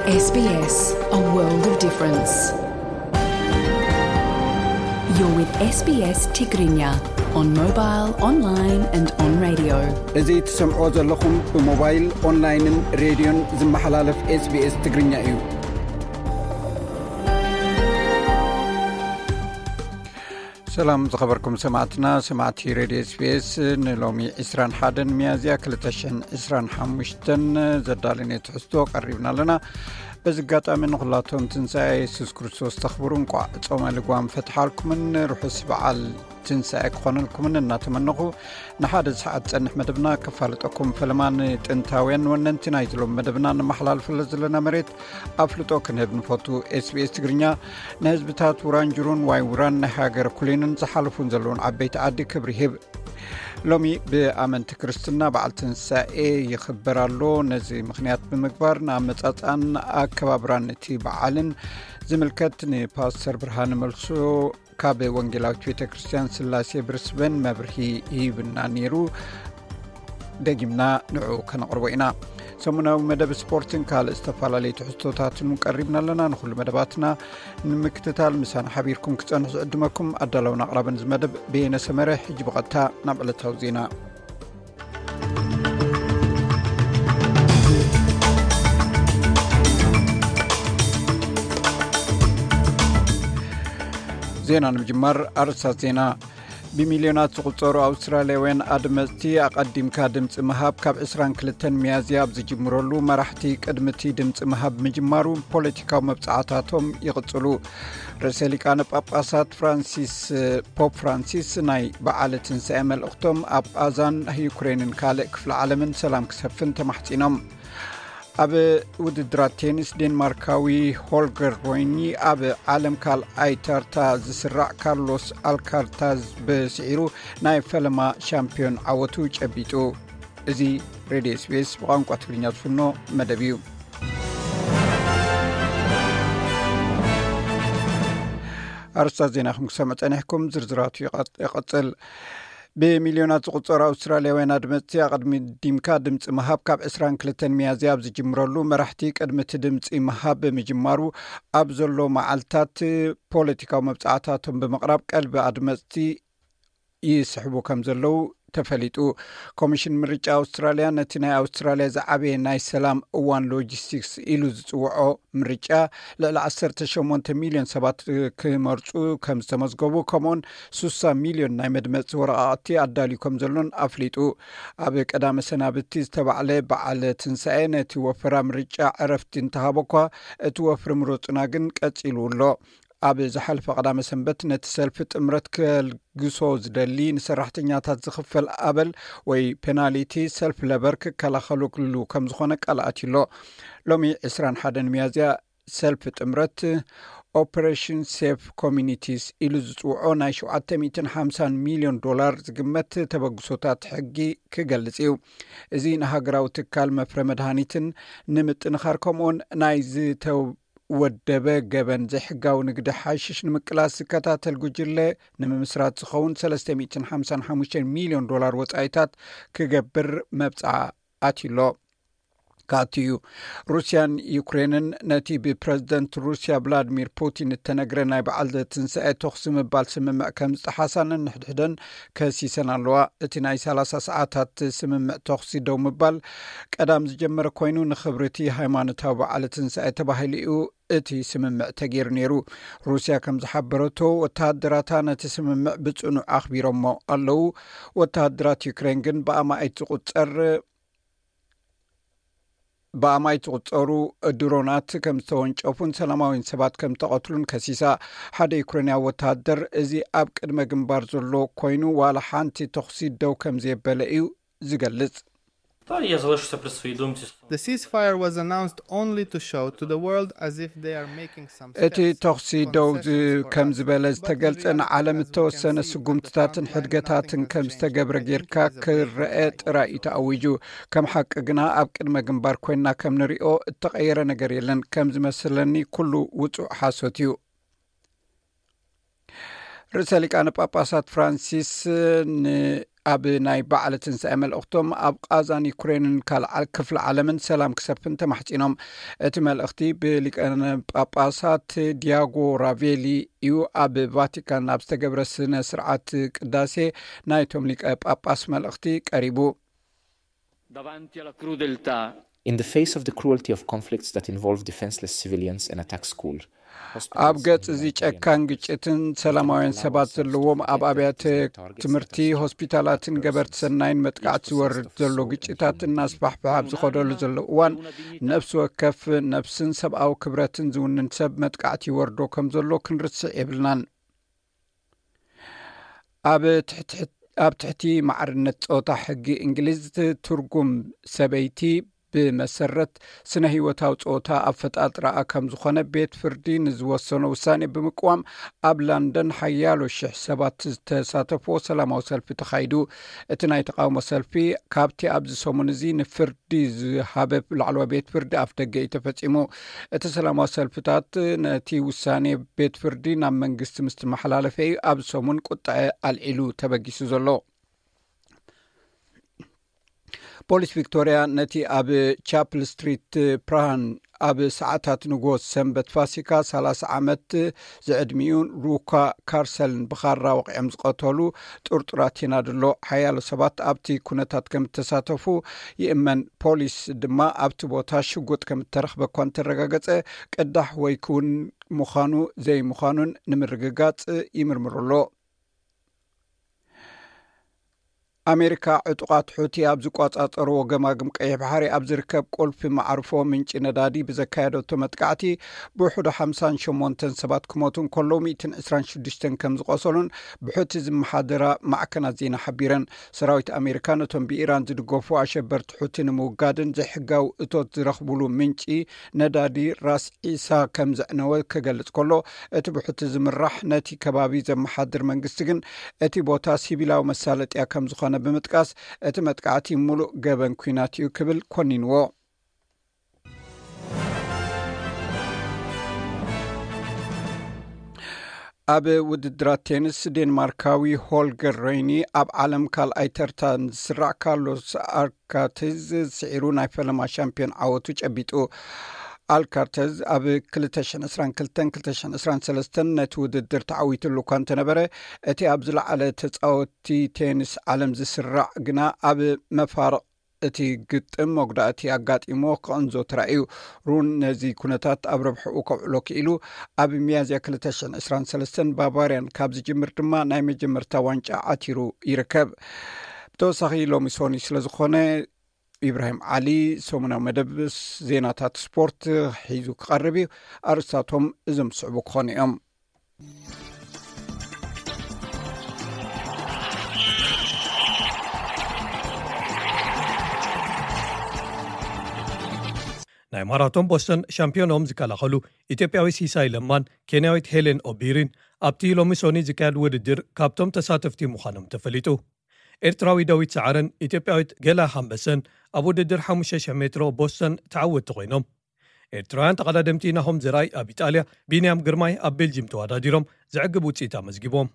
S B S, a world of difference. You're with S B S Tigrinya on mobile, online and on radio. እዚ ትሰምዖ ዘለኹም ብሞባይል፣ ኦንላይንን ሬድዮን ዝመሓላለፍ S B S ትግርኛ እዩ። ሰላም ዝኸበርኩም ሰማዕትና፣ ሰማዕቲ ሬድዮ S B S፣ ንሎሚ ዕስራን ሓደን ሚያዝያ ክልተ ሽሕን ዕስራን ሓሙሽተን ዘዳለነ ትሕዝቶ ቀሪብና ኣለና። በዚ ኣጋጣሚ ንኹላቶም ትንሳኤ የሱስ ክርስቶስ ተኽብሩ እንቋዕ ጾመ ልጓም ፈትሓልኩምን ርሑስ በዓል ትንሳኤ ክኾነልኩምን እናተመነኹ፣ ንሓደ ሰዓት ጸንሕ መደብና ከፋልጠኩም ፈለማ ንጥንታውያን ወነንቲ ናይቲ ሎም መደብና ነመሓላልፈለ ዘለና መሬት ኣፍልጦ ክንህብ ንፈቱ። S B S ትግርኛ ንህዝብታት ውራንጅሩን ዋይ ውራን ናይ ሃገር ኩሊንን ዝሓለፉን ዘለውን ዓበይቲ ዓዲ ክብሪ ይህብ። ሎሚ ብኣመንቲ ክርስትና በዓል ትንሳኤ ይኽበር ኣሎ። ነዚ ምኽንያት ብምግባር ንኣመጻጽኣን ኣከባብራን እቲ በዓልን ዝምልከት ንፓስተር ብርሃነ መልሶ ካብ ወንጌላዊት ቤተ ክርስቲያን ስላሴ ብርስበን መብርሂ ይህብና ነይሩ። ደጊምና ንዑ ከነቕርቦ ኢና። ሰሙናዊ መደብ ስፖርትን ካልእ ዝተፈላለዩ ትሕዝቶታትን እውን ቀሪብና ኣለና። ንኹሉ መደባትና ንምክትታል ምሳና ሓቢርኩም ክጸንሑ ዝዕድመኩም ኣዳለውን ኣቕራብን እዚ መደብ በየነ ሰመረ። ሕጂ ብቐጥታ ናብ ዕለታዊ ዜና። ዜና ንምጅማር ኣርእስታት ዜና። ብሚልዮናት ዝቑጸሩ ኣውስትራልያውያን ኣድመጽቲ ኣቐዲምካ ድምጺ ምሃብ ካብ ዕስራን ክልተን ሚያዝያ ኣብ ዝጅምረሉ መራሕቲ ቅድሚ እቲ ድምጺ ምሃብ ምጅማሩ ፖለቲካዊ መብጽዓታቶም ይቕጽሉ። ርእሰ ሊቃነ ጳጳሳት ፍራንሲስ፣ ፖፕ ፍራንሲስ ናይ በዓለ ትንሳኤ መልእኽቶም ኣብ ቓዛን ዩክሬንን ካልእ ክፍለ ዓለምን ሰላም ክሰፍን ተማሕጺኖም። ኣብ ውድድራት ቴኒስ ዴንማርካዊ ሆልገር ሮይኒ ኣብ ዓለም ካልኣይ ተርታ ዝስራዕ ካርሎስ ኣልካርታዝ ብስዒሩ ናይ ፈለማ ሻምፒዮን ዓወቱ ጨቢጡ። እዚ ሬድዮ S B S ብቋንቋ ትግርኛ ዝፍኖ መደብ እዩ። ኣርስታት ዜና ክምክሰምዕ ጸኒሕኩም፣ ዝርዝራቱ ይቐጽ-፣ ይቐጽል። ብሚልዮናት ዝቑጸሩ ኣውስትራልያውያን ኣድመጽቲ ኣቐድሚዲምካ ድምጺ ምሃብ ካብ ዕስራን ክልተን ሚያዝያ ኣብ ዝጅምረሉ መራሕቲ ቅድሚ እቲ ድምጺ ምሃብ ብምጅማሩ ኣብ ዘሎ መዓልታት ፖለቲካዊ መብጻዕታቶም ብምቕራብ ቀልቢ ኣድመጽቲ ይስሕቡ ከም ዘለዉ ተፈሊጡ። ኮሚሽን ምርጫ ኣውስትራልያ ነቲ ናይ ኣውስትራልያ ዝዓበየ ናይ ሰላም እዋን ሎጂስቲክስ ኢሉ ዝጽውዖ ምርጫ ልዕሊ ዓሰርተ ሸሞንተ ሚልዮን ሰባት ክመርጹ ከም ዝተመዝገቡ፣ ከምኡውን ስሳ ሚልዮን ናይ መድመጺ ወረቓቕቲ ኣዳልዩ ከም ዘሎን ኣፍሊጡ። ኣብ ቀዳመ ሰናብቲ ዝተባዕለ በዓለ ትንሳኤ ነቲ ወፈራ ምርጫ ዕረፍቲ እንተሃበ እኳ፣ እቲ ወፍሪ ምረጹና ግን ቀጺሉ ኣሎ። ኣብ ዝሓለፈ ቀዳመ ሰንበት ነቲ ሰልፊ ጥምረት ከልግሶ ዝደሊ ንሰራሕተኛታት ዝኽፈል ኣበል ወይ ፔናሊቲ ሰልፍ ለበር ክከላኸሉሉ ከም ዝኾነ ቃል ኣትዩ ኣሎ። ሎሚ ዕስራን ሓደን ሚያዝያ ሰልፊ ጥምረት ኦፐሬሽን ሴፍ ኮሚኒቲስ ኢሉ ዝጽውዖ ናይ ሸውዓተ ሚእትን ሓምሳን ሚልዮን ዶላር ዝግመት ተበግሶታት ሕጊ ክገልጽ እዩ። እዚ ንሃገራዊ ትካል መፍረ መድሃኒትን ንምጥንኻር ከምኡውን ናይ ዝተወደበ ገበን ዘይሕጋዊ ንግዲ ሓሽሽ ንምቅላስ ዝከታተል ጉጅለ ንምምስራት ዝኸውን ሰለስተ ሚእትን ሓምሳን ሓሙሽተን ሚልዮን ዶላር ወጻኢታት ክገብር መብጽዓ ኣትዩ ኣሎ። ክኣቱ እዩ። ሩስያን ዩክሬንን ነቲ ብፕረዚደንት ሩስያ ቭላድሚር ፑቲን እተነግረ ናይ በዓል ትንሳኤ ተኹሲ ምባል ስምምዕ ከም ዝጠሓሳ ነንሕድሕደን ከሲሰን ኣለዋ። እቲ ናይ ሰላሳ ሰዓታት ስምምዕ ተኹሲ ደው ምባል ቀዳም ዝጀመረ ኮይኑ፣ ንኽብሪ እቲ ሃይማኖታዊ በዓል ትንሳኤ ተባሂሉ እዩ እቲ ስምምዕ ተገይሩ ነይሩ። ሩስያ ከም ዝሓበረቶ፣ ወተሃደራታ ነቲ ስምምዕ ብጽኑዕ ኣኽቢሮሞ ኣለዉ። ወተሃደራት ዩክሬን ግን ብኣማኢት ዝቑጸር ብኣማኢት ዝቑጸሩ ድሮናት ከም ዝተወንጨፉን ሰላማውያን ሰባት ከም ተቐትሉን ከሲሳ። ሓደ ዩክሬንያዊ ወተሃደር፣ እዚ ኣብ ቅድመ ግንባር ዘሎ ኮይኑ ዋላ ሓንቲ ተኹሲ ደው ከም ዘየበለ እዩ ዝገልጽ። Та я залишився при своїй думці. The ceasefire was announced only to show to the world as if they are making some እቲ ተኹሲ ደው ከም ዝበለ ዝተገልጸ ንዓለም እተወሰነ ስጉምትታትን ሕድገታትን ከም ዝተገብረ ጌርካ ክረአ ጥራይ እዩ ተኣዊጁ። ከም ሓቂ ግና ኣብ ቅድመ ግንባር ኮይንና ከም ንሪኦ እተቐየረ ነገር የለን። ከም ዝመስለኒ ኩሉ ውጹእ ሓሶት እዩ። ርእሰ ሊቃነ ጳጳሳት ፍራንሲስ ን ኣብ ናይ በዓለ ትንሳኤ መልእኽቶም ኣብ ቃዛን ዩክሬንን ካልዓል ክፍለ ዓለምን ሰላም ክሰፍን ተማሕጺኖም። እቲ መልእኽቲ ብሊቀነ ጳጳሳት ዲያጎ ራቬሊ እዩ ኣብ ቫቲካን ኣብ ዝተገብረ ስነ ስርዓት ቅዳሴ ናይቶም ሊቀ ጳጳስ መልእኽቲ ቀሪቡ። Davanti alla crudeltà In the face of the cruelty of conflicts that involve defenseless civilians and attack school, ኣብ ገጽ እዚ ጨካን ግጭትን ሰላማውያን ሰባት ዘለዎም ኣብ ኣብያተ ትምህርቲ፣ ሆስፒታላትን ገበርቲ ሰናይን መጥቃዕቲ ዝወርድ ዘሎ ግጭታት እናስፋሕፍሐ ኣብ ዝኸደሉ ዘሎ እዋን፣ ነፍሲ ወከፍ ነፍስን ሰብኣዊ ክብረትን ዝውንን ሰብ መጥቃዕቲ ይወርዶ ከም ዘሎ ክንርስዕ የብልናን። ኣብ ትሕቲ ማዕርነት ጾታ ሕጊ እንግሊዝ ትርጉም ሰበይቲ ብመሰረት ስነ ህይወታዊ ጾታ ኣፈጣጥራኣ ከም ዝኾነ ቤት ፍርዲ ንዝወሰኖ ውሳኔ ብምቅዋም ኣብ ላንደን ሓያሎ ሽሕ ሰባት ዝተሳተፍዎ ሰላማዊ ሰልፊ ተኻይዱ። እቲ ናይ ተቃውሞ ሰልፊ ካብቲ ኣብዚ ሰሙን እዚ ንፍርዲ ዝሃበ ላዕለዋይ ቤት ፍርዲ ኣፍ ደገ እዩ ተፈጺሙ። እቲ ሰላማዊ ሰልፍታት ነቲ ውሳኔ ቤት ፍርዲ ናብ መንግስቲ ምስ ተመሓላለፈ እዩ ኣብ ሰሙን ቁጥዐ ኣልዒሉ ተበጊሱ ዘሎ። ፖሊስ ቪክቶርያ ነቲ ኣብ ቻፕል ስትሪት ፕራሃን ኣብ ሰዓታት ንጎ ሰንበት ፋሲካ ሰላሳ ዓመት ዝዕድሚኡ ሩካ ካርሰልን ብኻራ ወቂዖም ዝቐተሉ ጥርጡራት ይናድሎ። ሓያሎ ሰባት ኣብቲ ኩነታት ከም እተሳተፉ ይእመን። ፖሊስ ድማ ኣብቲ ቦታ ሽጉጥ ከም እተረኽበ እኳ እንተረጋገጸ፣ ቅዳሕ ወይ ክውን ምዃኑ ዘይምዃኑን ንምርግጋጽ ይምርምሩ ኣሎ። ኣሜሪካ ዕጡቓት ሑቲ ኣብ ዝቆጻጸርዎ ገማግም ቀይሕ ባሕሪ ኣብ ዝርከብ ቁልፊ መዓርፎ ምንጪ ነዳዲ ብዘካየደቶ መጥቃዕቲ ብውሕዱ ሓምሳን ሸሞንተን ሰባት ክሞቱ እንከለዉ ሚእትን ዕስራን ሽዱሽተን ከም ዝቆሰሉን ብሑቲ ዝመሓደራ ማዕከናት ዜና ሓቢረን። ሰራዊት ኣሜሪካ ነቶም ብኢራን ዝድገፉ ኣሸበርቲ ሑቲ ንምውጋድን ዘይሕጋዊ እቶት ዝረኽቡሉ ምንጪ ነዳዲ ራስ ዒሳ ከም ዘዕነወ ክገልጽ ከሎ፣ እቲ ብሑቲ ዝምራሕ ነቲ ከባቢ ዘመሓድር መንግስቲ ግን እቲ ቦታ ሲቪላዊ መሳለጥያ ከም ዝኾነ ብምጥቃስ፣ እቲ መጥቃዕቲ ሙሉእ ገበን ኲናት እዩ ክብል ኮኒንዎ። ኣብ ውድድራት ቴኒስ ዴንማርካዊ ሆልገር ሬኒ ኣብ ዓለም ካልኣይ ተርታ ዝስራዕ ካርሎስ ኣልካርተዝ ስዒሩ ናይ ፈለማ ሻምፒዮን ዓወቱ ጨቢጡ። ኣልካርተዝ ኣብ ክልተ ሽሕን ዕስራን ክልተን ክልተ ሽሕን ዕስራን ሰለስተን ነቲ ውድድር ተዓዊትሉ እኳ እንተነበረ፣ እቲ ኣብ ዝለዓለ ተጻወቲ ቴኒስ ዓለም ዝስራዕ ግና ኣብ መፋርቕ እቲ ግጥም መጉዳእቲ ኣጋጢሞ ክቕንዞ ተራእዩ። ሩን ነዚ ኩነታት ኣብ ረብሕኡ ከውዕሎ ክኢሉ ኣብ ሚያዝያ ክልተ ሽሕን ዕስራን ሰለስተን ባቫርያን ካብ ዝጅምር ድማ ናይ መጀመርታ ዋንጫ ዓቲሩ ይርከብ። ብተወሳኺ ሎሚ ሶኒ ስለ ዝኾነ ኢብራሂም ዓሊ ሰሙናዊ መደብ ዜናታት ስፖርት ሒዙ ክቐርብ እዩ። ኣርእስታቶም እዞም ዝስዕቡ ክኾኑ እዮም። ናይ ማራቶን ቦስተን ሻምፒዮኖም ዝከላኸሉ ኢትዮጵያዊ ሲሳይ ለማን ኬንያዊት ሄሌን ኦቢሪን ኣብቲ ሎሚ ሶኒ ዝካየድ ውድድር ካብቶም ተሳተፍቲ ምዃኖም ተፈሊጡ። ኤርትራዊ ዳዊት ሰዓረን ኢትዮጵያዊት ገላ ሃምበሰን ኣብ ውድድር ሓሙሽተ ሽሕ ሜትሮ ቦስተን ተዓወትቲ ኮይኖም። ኤርትራውያን ተቐዳደምቲ ናሆም ዘርኣይ ኣብ ኢጣልያ፣ ቢንያም ግርማይ ኣብ ቤልጂም ተወዳዲሮም ዘዕግብ ውፅኢት ኣመዝጊቦም።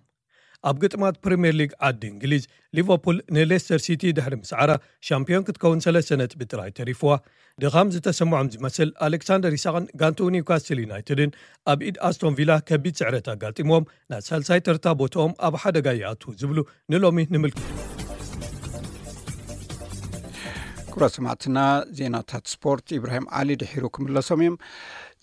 ኣብ ግጥማት ፕሪምየር ሊግ ዓዲ እንግሊዝ፣ ሊቨርፑል ንሌስተር ሲቲ ድሕሪ ምስዓራ ሻምፒዮን ክትከውን ሰለስተ ነጥቢ ጥራይ ተሪፍዋ። ድኻም ዝተሰምዖም ዝመስል ኣሌክሳንደር ኢሳቕን ጋንትኡ ኒውካስትል ዩናይትድን ኣብ ኢድ ኣስቶን ቪላ ከቢድ ስዕረት ኣጋጢምዎም ናብ ሳልሳይ ተርታ ቦትኦም ኣብ ሓደጋ ይኣትዉ ዝብሉ ንሎሚ ንምልክት። ክቡራት ሰማዕትና፣ ዜናታት ስፖርት ኢብራሂም ዓሊ ድሒሩ ክምለሶም እዮም።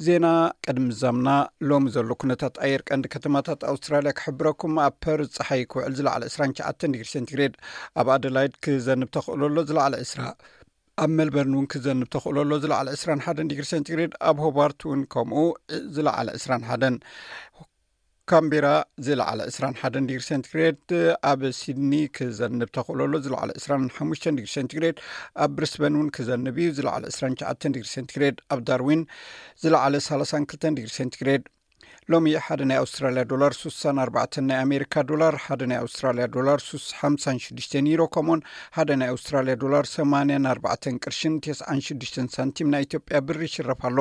ዜና ቅድሚ ዛምና ሎሚ ዘሎ ኩነታት ኣየር ቀንዲ ከተማታት ኣውስትራልያ ክሕብረኩም። ኣብ ፐርዝ ፀሓይ ክውዕል ዝለዓለ ዕስራን ትሽዓተን ዲግሪ ሴንቲግሬድ፣ ኣብ ኣደላይድ ክዘንብ ተኽእሎ ኣሎ ዝለዓለ ዕስራ፣ ኣብ ሜልበርን እውን ክዘንብ ተኽእሎ ኣሎ ዝለዓለ ዕስራን ሓደን ዲግሪ ሴንቲግሬድ፣ ኣብ ሆባርት እውን ከምኡ ዝለዓለ ዕስራን ሓደን፣ ካምቤራ ዝለዓለ ዕስራን ሓደን ዲግሪ ሴንቲግሬድ፣ ኣብ ሲድኒ ክዘንብ ተኽእሎ ኣሎ ዝለዓለ ዕስራን ሓሙሽተን ዲግሪ ሴንቲግሬድ፣ ኣብ ብሪስበን እውን ክዘንብ እዩ ዝለዓለ ዕስራን ትሽዓተን ዲግሪ ሴንቲግሬድ፣ ኣብ ዳርዊን ዝለዓለ ሰላሳን ክልተን ዲግሪ ሴንቲግሬድ። ሎሚ ሓደ ናይ ኣውስትራልያ ዶላር ሱሳን ኣርባዕተን ናይ ኣሜሪካ ዶላር፣ ሓደ ናይ ኣውስትራልያ ዶላር ሱስ ሓምሳን ሽዱሽተን ዩሮ፣ ከምኡን ሓደ ናይ ኣውስትራልያ ዶላር ሰማንያን ኣርባዕተን ቅርሽን ተስዓን ሽዱሽተን ሳንቲም ናይ ኢትዮጵያ ብር ይሽረፍ ኣሎ።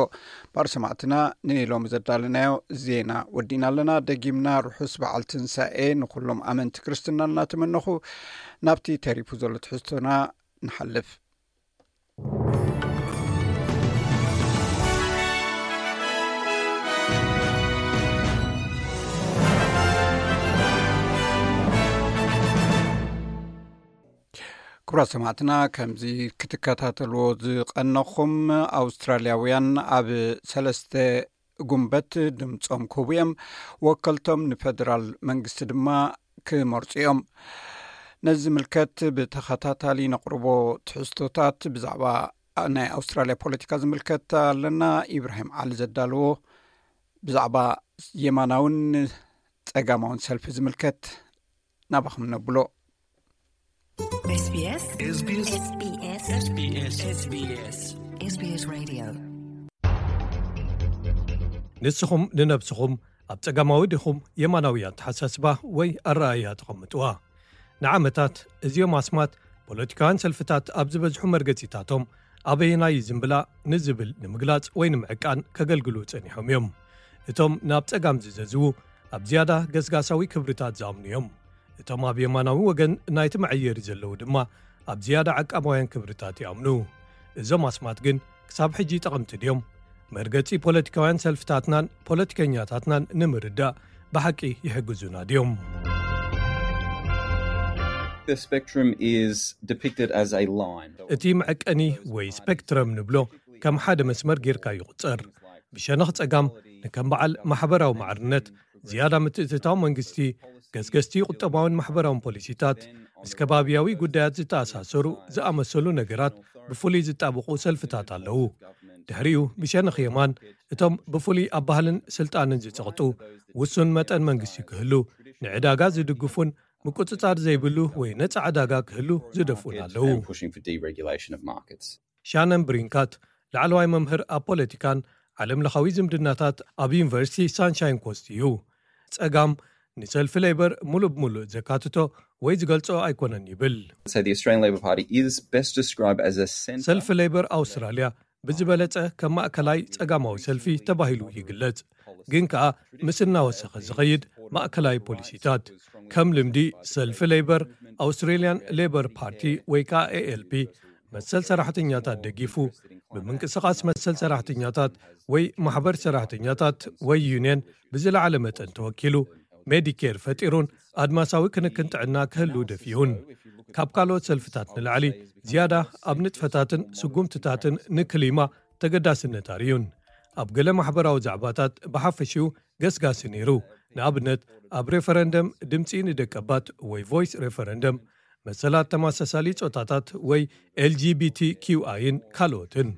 ባር ሰማዕትና፣ ንሎሚ ዘዳለናዮ ዜና ወዲና ኣለና። ደጊምና ርሑስ በዓል ትንሳኤ ንኹሎም ኣመንቲ ክርስትና እናተመነኹ፣ ናብቲ ተሪፉ ዘሎ ትሕዝቶና ንሓልፍ። ክቡራት ሰማዕትና፣ ከምዚ ክትከታተልዎ ዝቐነኹም፣ ኣውስትራልያውያን ኣብ ሰለስተ ጉንበት ድምጾም ክህቡ እዮም። ወከልቶም ንፌደራል መንግስቲ ድማ ክመርጹ እዮም። ነዚ ዝምልከት ብተኸታታሊ ነቕርቦ ትሕዝቶታት ብዛዕባ ናይ ኣውስትራልያ ፖለቲካ ዝምልከት ኣለና። ኢብራሂም ዓሊ ዘዳለዎ ብዛዕባ የማናውን ጸጋማውን ሰልፊ ዝምልከት ናባኹም ነብሎ። SBS SBS SBS SBS Radio። ንስኹም ንነብስኹም ኣብ ጸጋማዊ ዲኹም የማናዊ ኣተሓሳስባ ወይ ኣረኣእያ ተቐምጥዋ? ንዓመታት እዚኦም ኣስማት ፖለቲካውያን ሰልፍታት ኣብ ዝበዝሑ መርገጺታቶም ኣበየናይ ዝምብላ ንዝብል ንምግላጽ ወይ ንምዕቃን ከገልግሉ ጸኒሖም እዮም። እቶም ናብ ጸጋም ዝዘዝዉ ኣብ ዝያዳ ገስጋሳዊ ክብርታት ዝኣምኑ እዮም። እቶም ኣብ የማናዊ ወገን ናይቲ መዐየሪ ዘለዉ ድማ ኣብ ዝያዳ ዓቃባውያን ክብርታት ይኣምኑ። እዞም ኣስማት ግን ክሳብ ሕጂ ጠቐምቲ ድዮም? መርገጺ ፖለቲካውያን ሰልፍታትናን ፖለቲከኛታትናን ንምርዳእ ብሓቂ ይሕግዙና ድዮም? The spectrum is depicted as a line. እቲ መዐቀኒ ወይ ስፔክትረም ንብሎ ከም ሓደ መስመር ጌርካ ይቑጸር። ብሸነኽ ጸጋም ንከም በዓል ማሕበራዊ ማዕርነት፣ ዝያዳ ምትእትታው መንግስቲ፣ ገስገስቲ ቁጠባውን ማሕበራውን ፖሊሲታት፣ ምስ ከባብያዊ ጉዳያት ዝተኣሳሰሩ ዝኣመሰሉ ነገራት ብፍሉይ ዝጣበቑ ሰልፍታት ኣለዉ። ድሕሪኡ ብሸነኽ የማን እቶም ብፍሉይ ኣብ ባህልን ስልጣንን ዝጸቕጡ፣ ውሱን መጠን መንግስቲ ክህሉ፣ ንዕዳጋ ዝድግፉን ምቁጽጻር ዘይብሉ ወይ ነጻ ዕዳጋ ክህሉ ዝደፍኡን ኣለዉ። And pushing for deregulation of markets. ሻነን ብሪንካት ላዕለዋይ መምህር ኣብ ፖለቲካን ዓለም ለኻዊ ዝምድናታት ኣብ ዩኒቨርሲቲ ሳንሻይን ኮስት እዩ። ጸጋም ንሰልፊ ሌበር ሙሉእ ብሙሉእ ዘካትቶ ወይ ዝገልጾ ኣይኮነን ይብል። So the Australian Labor Party is best described as a centre. ሰልፊ ሌበር ኣውስትራልያ ብዝበለጸ ከም ማእከላይ ጸጋማዊ ሰልፊ ተባሂሉ ይግለጽ፣ ግን ከኣ ምስ እናወሰኸ ዝኸይድ ማእከላይ ፖሊሲታት። ከም ልምዲ ሰልፊ ሌበር ኣውስትሬልያን ሌበር ፓርቲ ወይ ከኣ ኤኤልፒ መሰል ሰራሕተኛታት ደጊፉ፣ ብምንቅስቓስ መሰል ሰራሕተኛታት ወይ ማሕበር ሰራሕተኛታት ወይ ዩንየን ብዝለዓለ መጠን ተወኪሉ፣ ሜዲኬር ፈጢሩን ኣድማሳዊ ክንክን ጥዕና ክህሉ ደፊኡን። ካብ ካልኦት ሰልፍታት ንላዕሊ ዝያዳ ኣብ ንጥፈታትን ስጉምትታትን ንክሊማ ተገዳስነት ኣርእዩን። ኣብ ገለ ማሕበራዊ ዛዕባታት ብሓፈሽኡ ገስጋሲ ነይሩ። ንኣብነት ኣብ ሬፈረንደም ድምፂ ንደቀባት ወይ ቮይስ ሬፈረንደም፣ መሰላት ተመሳሳሊ ጾታታት ወይ ኤልጂቢቲ ኪውኣይን ካልኦትን።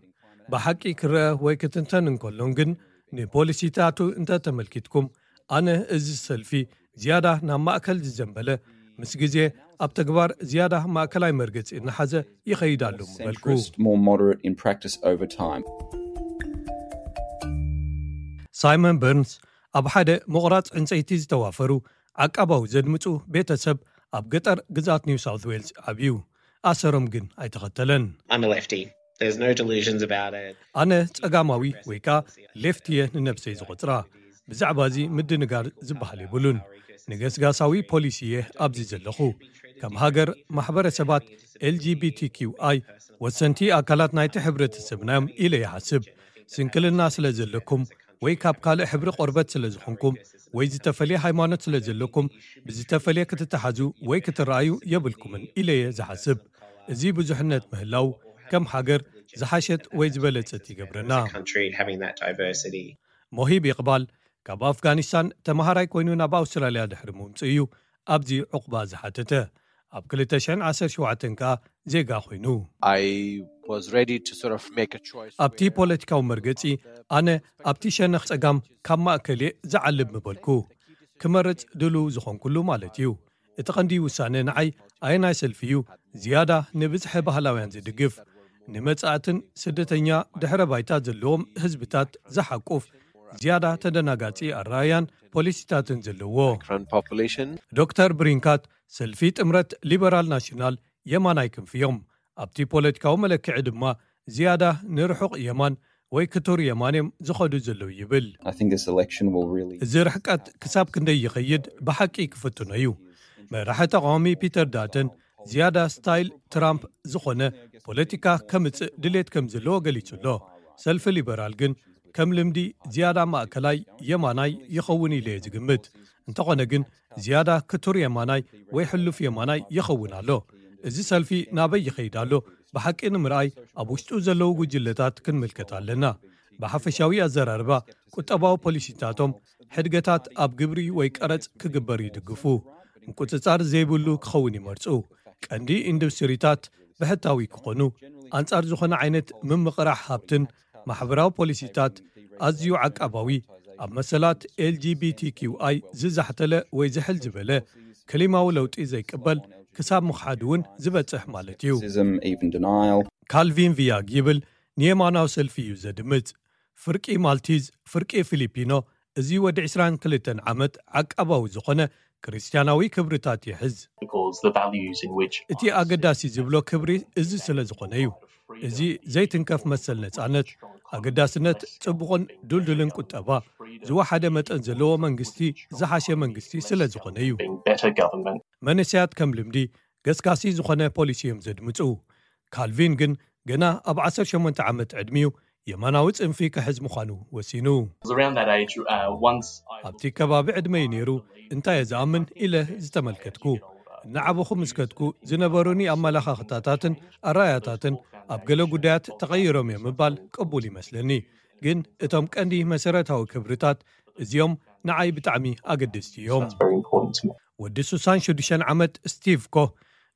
ብሓቂ ክረአ ወይ ክትንተን እንከሎን ግን ንፖሊሲታቱ እንተተመልኪትኩም፣ ኣነ እዚ ሰልፊ ዝያዳ ናብ ማእከል ዝዘንበለ፣ ምስ ግዜ ኣብ ተግባር ዝያዳ ማእከላይ መርገጺ እናሓዘ ይኸይድ ኣሎ ምበልኩ። Centrist, more moderate in practice over time. ሳይመን በርንስ ኣብ ሓደ ምቑራጽ ዕንጸይቲ ዝተዋፈሩ ዓቃባዊ ዘድምጹ ቤተሰብ ኣብ ገጠር ግዛት ኒው ሳውት ዌልስ ዓብዩ። ኣሰሮም ግን ኣይተኸተለን። I'm a lefty. There's no delusions about it. ኣነ ጸጋማዊ ወይ ከኣ ሌፍት እየ ንነብሰይ ዝቖጽራ። ብዛዕባ እዚ ምድንጋር ዝበሃል የብሉን። ንገስጋሳዊ ፖሊሲ እየ ኣብዚ ዘለኹ። ከም ሃገር ማሕበረሰባት ኤልጂቢቲኪውኣይ ወሰንቲ ኣካላት ናይቲ ሕብረተሰብና እዮም ኢለ ይሓስብ። ስንክልና ስለ ዘለኩም ወይ ካብ ካልእ ሕብሪ ቆርበት ስለ ዝኾንኩም ወይ ዝተፈልየ ሃይማኖት ስለ ዘለኩም ብዝተፈልየ ክትተሓዙ ወይ ክትረኣዩ የብልኩምን ኢለ እየ ዝሓስብ። እዚ ብዙሕነት ምህላው ከም ሃገር ዝሓሸት ወይ ዝበለጸት ይገብረና። Country having that diversity. ሞሂብ ይቕባል ካብ ኣፍጋኒስታን ተመሃራይ ኮይኑ ናብ ኣውስትራልያ ድሕሪ ምምጽኡ እዩ ኣብዚ ዕቑባ ዝሓተተ። ኣብ ክልተ ሽሕን ዓሰርተ ሸውዓተን ከኣ ዜጋ ኮይኑ። I was ready to sort of make a choice. ኣብቲ ፖለቲካዊ መርገጺ ኣነ ኣብቲ ሸነኽ ጸጋም ካብ ማእከል እየ ዝዓልብ ምበልኩ። ክመርጽ ድሉው ዝኾንኩሉ ማለት እዩ። እቲ ቀንዲ ውሳነ ንዓይ ኣየናይ ሰልፊ እዩ ዝያዳ ንብዝሒ ባህላውያን ዝድግፍ፣ ንመጻእትን ስደተኛ ድሕረ ባይታ ዘለዎም ህዝብታት ዝሓቁፍ፣ ዝያዳ ተደናጋጺ ኣረኣያን ፖሊሲታትን ዘለዎ። Immigrant population. ዶክተር ብሪንካት ሰልፊ ጥምረት ሊበራል ናሽናል የማናይ ክንፊ እዮም። ኣብቲ ፖለቲካዊ መለክዒ ድማ ዝያዳ ንርሑቕ የማን ወይ ክቱር የማን እዮም ዝኸዱ ዘለዉ ይብል። I think this election will really እዚ ርሕቀት ክሳብ ክንደይ ይኸይድ ብሓቂ ክፍትኖ እዩ። መራሒ ተቃዋሚ ፒተር ዳተን ዝያዳ ስታይል ትራምፕ ዝኾነ ፖለቲካ ከምጽእ ድሌት ከም ዘለዎ ገሊጹ ኣሎ። ሰልፊ ሊበራል ግን ከም ልምዲ ዝያዳ ማእከላይ የማናይ ይኸውን ኢለ እየ ዝግምት። እንተኾነ ግን ዝያዳ ክቱር የማናይ ወይ ሕሉፍ የማናይ ይኸውን ኣሎ። እዚ ሰልፊ ናበይ ይኸይድ ኣሎ ብሓቂ ንምርኣይ ኣብ ውሽጡ ዘለዉ ጉጅለታት ክንምልከት ኣለና። ብሓፈሻዊ ኣዘራርባ ቁጠባዊ ፖሊሲታቶም ሕድገታት ኣብ ግብሪ ወይ ቀረጽ ክግበር ይድግፉ። ምቁጽጻር ዘይብሉ ክኸውን ይመርጹ። ቀንዲ ኢንዱስትሪታት ብሕታዊ ክኾኑ፣ ኣንጻር ዝኾነ ዓይነት ምምቕራሕ ሃብትን ማሕበራዊ ፖሊሲታት ኣዝዩ ዓቃባዊ፣ ኣብ መሰላት ኤልጂቢቲኪውኣይ ዝዛሕተለ ወይ ዝሕል ዝበለ፣ ክሊማዊ ለውጢ ዘይቅበል ክሳብ ምኽሓድ እውን ዝበጽሕ ማለት እዩ። racism, even denial. ካልቪን ቪያግ ይብል ንየማናዊ ሰልፊ እዩ ዘድምጽ። ፍርቂ ማልቲዝ፣ ፍርቂ ፊሊፒኖ፣ እዚ ወዲ ዕስራን ክልተን ዓመት ዓቃባዊ ዝኾነ ክርስትያናዊ ክብርታት ይሕዝ። because the values in which እቲ ኣገዳሲ ዝብሎ ክብሪ እዚ ስለ ዝኾነ እዩ። እዚ ዘይትንከፍ መሰል ነጻነት፣ ኣገዳስነት ጽቡቕን ድልድልን ቁጠባ፣ ዝወሓደ መጠን ዘለዎ መንግስቲ፣ ዝሓሸ መንግስቲ ስለ ዝኾነ እዩ። being better government. መንእሰያት ከም ልምዲ ገስጋሲ ዝኾነ ፖሊሲ እዮም ዘድምጹ። ካልቪን ግን ገና ኣብ ዓሰርተ ሸሞንተ ዓመት ዕድሚኡ የማናዊ ጽንፊ ክሕዝ ምዃኑ ወሲኑ። Around that age, uh, once I ኣብቲ ከባቢ ዕድመይ ነይሩ እንታይ እየ ዝኣምን ኢለ ዝተመልከትኩ። እናዓበኹ ምስ ከድኩ ዝነበሩኒ ኣመላኻኽታታትን ኣረኣያታትን ኣብ ገለ ጉዳያት ተቐይሮም እዮም ምባል ቅቡል ይመስለኒ። ግን እቶም ቀንዲ መሰረታዊ ክብርታት እዚኦም ንዓይ ብጣዕሚ ኣገደስቲ እዮም። That's very important to me. ወዲ ስሳን ሽዱሽተን ዓመት ስቲቭ ኮህ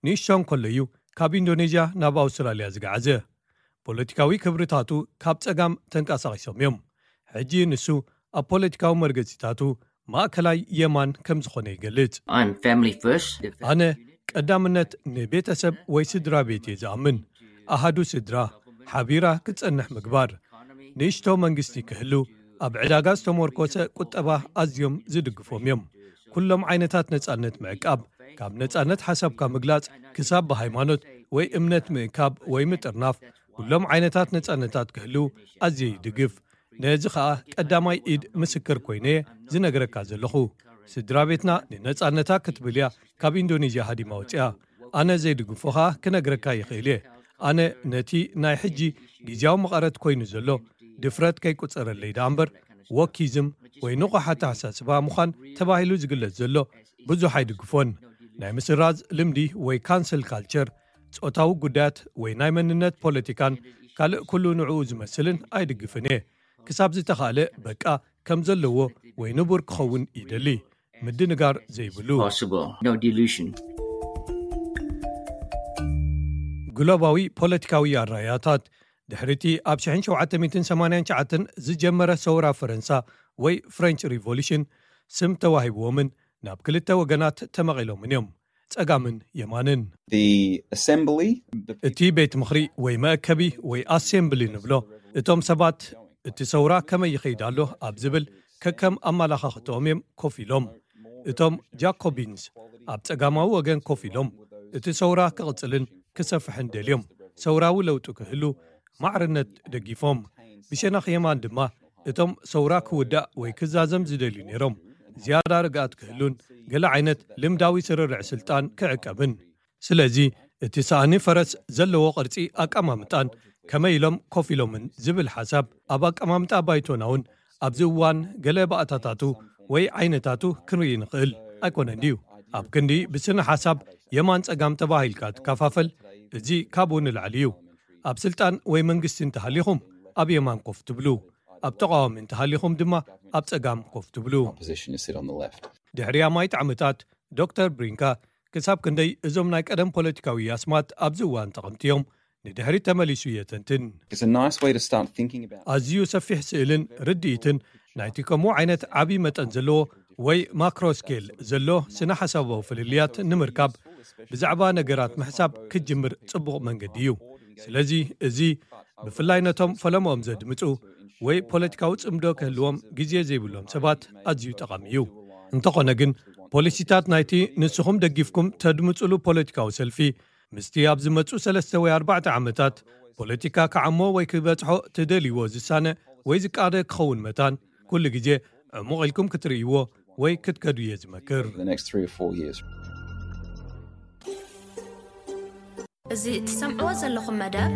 ንእሽቶ እንከሎ እዩ ካብ ኢንዶኔዥያ ናብ ኣውስትራልያ ዝገዓዘ። ፖለቲካዊ ክብርታቱ ካብ ጸጋም ተንቀሳቒሶም እዮም። ሕጂ ንሱ ኣብ ፖለቲካዊ መርገጺታቱ ማእከላይ የማን ከም ዝኾነ ይገልጽ። I'm family first. ኣነ ቀዳምነት ንቤተሰብ ወይ ስድራ ቤት እየ ዝኣምን። ኣሃዱ ስድራ ሓቢራ ክትጸንሕ ምግባር፣ ንእሽቶ መንግስቲ ክህሉ፣ ኣብ ዕዳጋ ዝተመርኮሰ ቁጠባ ኣዝዮም ዝድግፎም እዮም። ኩሎም ዓይነታት ነጻነት ምዕቃብ፣ ካብ ነጻነት ሓሳብካ ምግላጽ ክሳብ ብሃይማኖት ወይ እምነት ምእካብ ወይ ምጥርናፍ፣ ኩሎም ዓይነታት ነጻነታት ክህልው ኣዝየ ይድግፍ። ነዚ ኸኣ ቀዳማይ ኢድ ምስክር ኮይነ እየ ዝነግረካ ዘለኹ። ስድራ ቤትና ንነጻነታ ክትብል እያ ካብ ኢንዶኔዥያ ሃዲማ ወጺኣ። ኣነ ዘይድግፎ ኸኣ ክነግረካ ይኽእል እየ። ኣነ ነቲ ናይ ሕጂ ግዝያዊ መቐረት ኮይኑ ዘሎ ድፍረት ከይቁጸረለይ ደኣ እምበር፣ ወኪዝም ወይ ንቑሕ ኣተሓሳስባ ምዃን ተባሂሉ ዝግለጽ ዘሎ ብዙሕ ኣይድግፎን። ናይ ምስራዝ ልምዲ ወይ ካንስል ካልቸር፣ ጾታዊ ጉዳያት ወይ ናይ መንነት ፖለቲካን ካልእ ኩሉ ንዕኡ ዝመስልን ኣይድግፍን እየ። ክሳብ ዝተኻእለ በቃ ከም ዘለዎ ወይ ንቡር ክኸውን ይደሊ። ምድንጋር ዘይብሉ። Possible. No delusion. ግሎባዊ ፖለቲካዊ ኣረኣያታት ድሕሪቲ ኣብ ሽሕን ሸውዓተ ሚእትን ሰማንያን ትሽዓተን ዝጀመረ ሰውራ ፈረንሳ ወይ ፍሬንች ሪቮሉሽን ስም ተዋሂብዎምን ናብ ክልተ ወገናት ተመቒሎምን እዮም፣ ጸጋምን የማንን። The assembly, the እቲ ቤት ምኽሪ ወይ መእከቢ ወይ ኣሴምብሊ ንብሎ፣ እቶም ሰባት እቲ ሰውራ ከመይ ይኸይድ ኣሎ ኣብ ዝብል ከከም ኣመላኻኽትኦም እዮም ኮፍ ኢሎም። እቶም ጃኮቢንስ ኣብ ጸጋማዊ ወገን ኮፍ ኢሎም፣ እቲ ሰውራ ክቕጽልን ክሰፍሕን ደልዮም፣ ሰውራዊ ለውጢ ክህሉ ማዕርነት ደጊፎም። ብሸነኽ የማን ድማ እቶም ሰውራ ክውዳእ ወይ ክዛዘም ዝደልዩ ነይሮም፣ ዝያዳ ርግኣት ክህሉን ገለ ዓይነት ልምዳዊ ስርርዕ ስልጣን ክዕቀብን። ስለዚ እቲ ሳእኒ ፈረስ ዘለዎ ቅርጺ ኣቀማምጣን ከመይ ኢሎም ኮፍ ኢሎምን ዝብል ሓሳብ ኣብ ኣቀማምጣ ባይቶና እውን ኣብዚ እዋን ገለ ባእታታቱ ወይ ዓይነታቱ ክንርኢ ንኽእል ኣይኮነን ድዩ? ኣብ ክንዲ ብስነ ሓሳብ የማን ጸጋም ተባሂልካ ትከፋፈል፣ እዚ ካብኡ ንላዕሊ እዩ። ኣብ ስልጣን ወይ መንግስቲ እንተሃሊኹም ኣብ የማን ኮፍ ትብሉ፣ ኣብ ተቃዋሚ እንተሃሊኹም ድማ ኣብ ጸጋም ኮፍ ትብሉ። Opposition is sit on the left. ድሕሪ ኣማይት ዓመታት ዶክተር ብሪንካ ክሳብ ክንደይ እዞም ናይ ቀደም ፖለቲካዊ ኣስማት ኣብዚ እዋን ጠቐምቲ እዮም ንድሕሪት ተመሊሱ የተንትን። It's a nice way to start thinking about. ኣዝዩ ሰፊሕ ስእልን ርድኢትን ናይቲ ከምኡ ዓይነት ዓብዪ መጠን ዘለዎ ወይ ማክሮ ስኬል ዘሎ ስነ ሓሳባዊ ፍልልያት ንምርካብ ብዛዕባ ነገራት ምሕሳብ ክጅምር ጽቡቕ መንገዲ እዩ። ስለዚ እዚ ብፍላይ ነቶም ፈለምኦም ዘድምጹ ወይ ፖለቲካዊ ጽምዶ ክህልዎም ግዜ ዘይብሎም ሰባት ኣዝዩ ጠቓሚ እዩ። እንተኾነ ግን፣ ፖሊሲታት ናይቲ ንስኹም ደጊፍኩም ተድምጹሉ ፖለቲካዊ ሰልፊ፣ ምስቲ ኣብ ዝመጹ ሰለስተ ወይ ኣርባዕተ ዓመታት ፖለቲካ ክዓሞ ወይ ክበጽሖ ትደልይዎ ዝሳነ ወይ ዝቃደ ክኸውን መታን፣ ኩሉ ግዜ ዕሙቕ ኢልኩም ክትርእይዎ ወይ ክትከዱ እየ ዝመክር። the next three or four years. እዚ እትሰምዕዎ ዘለኹም መደብ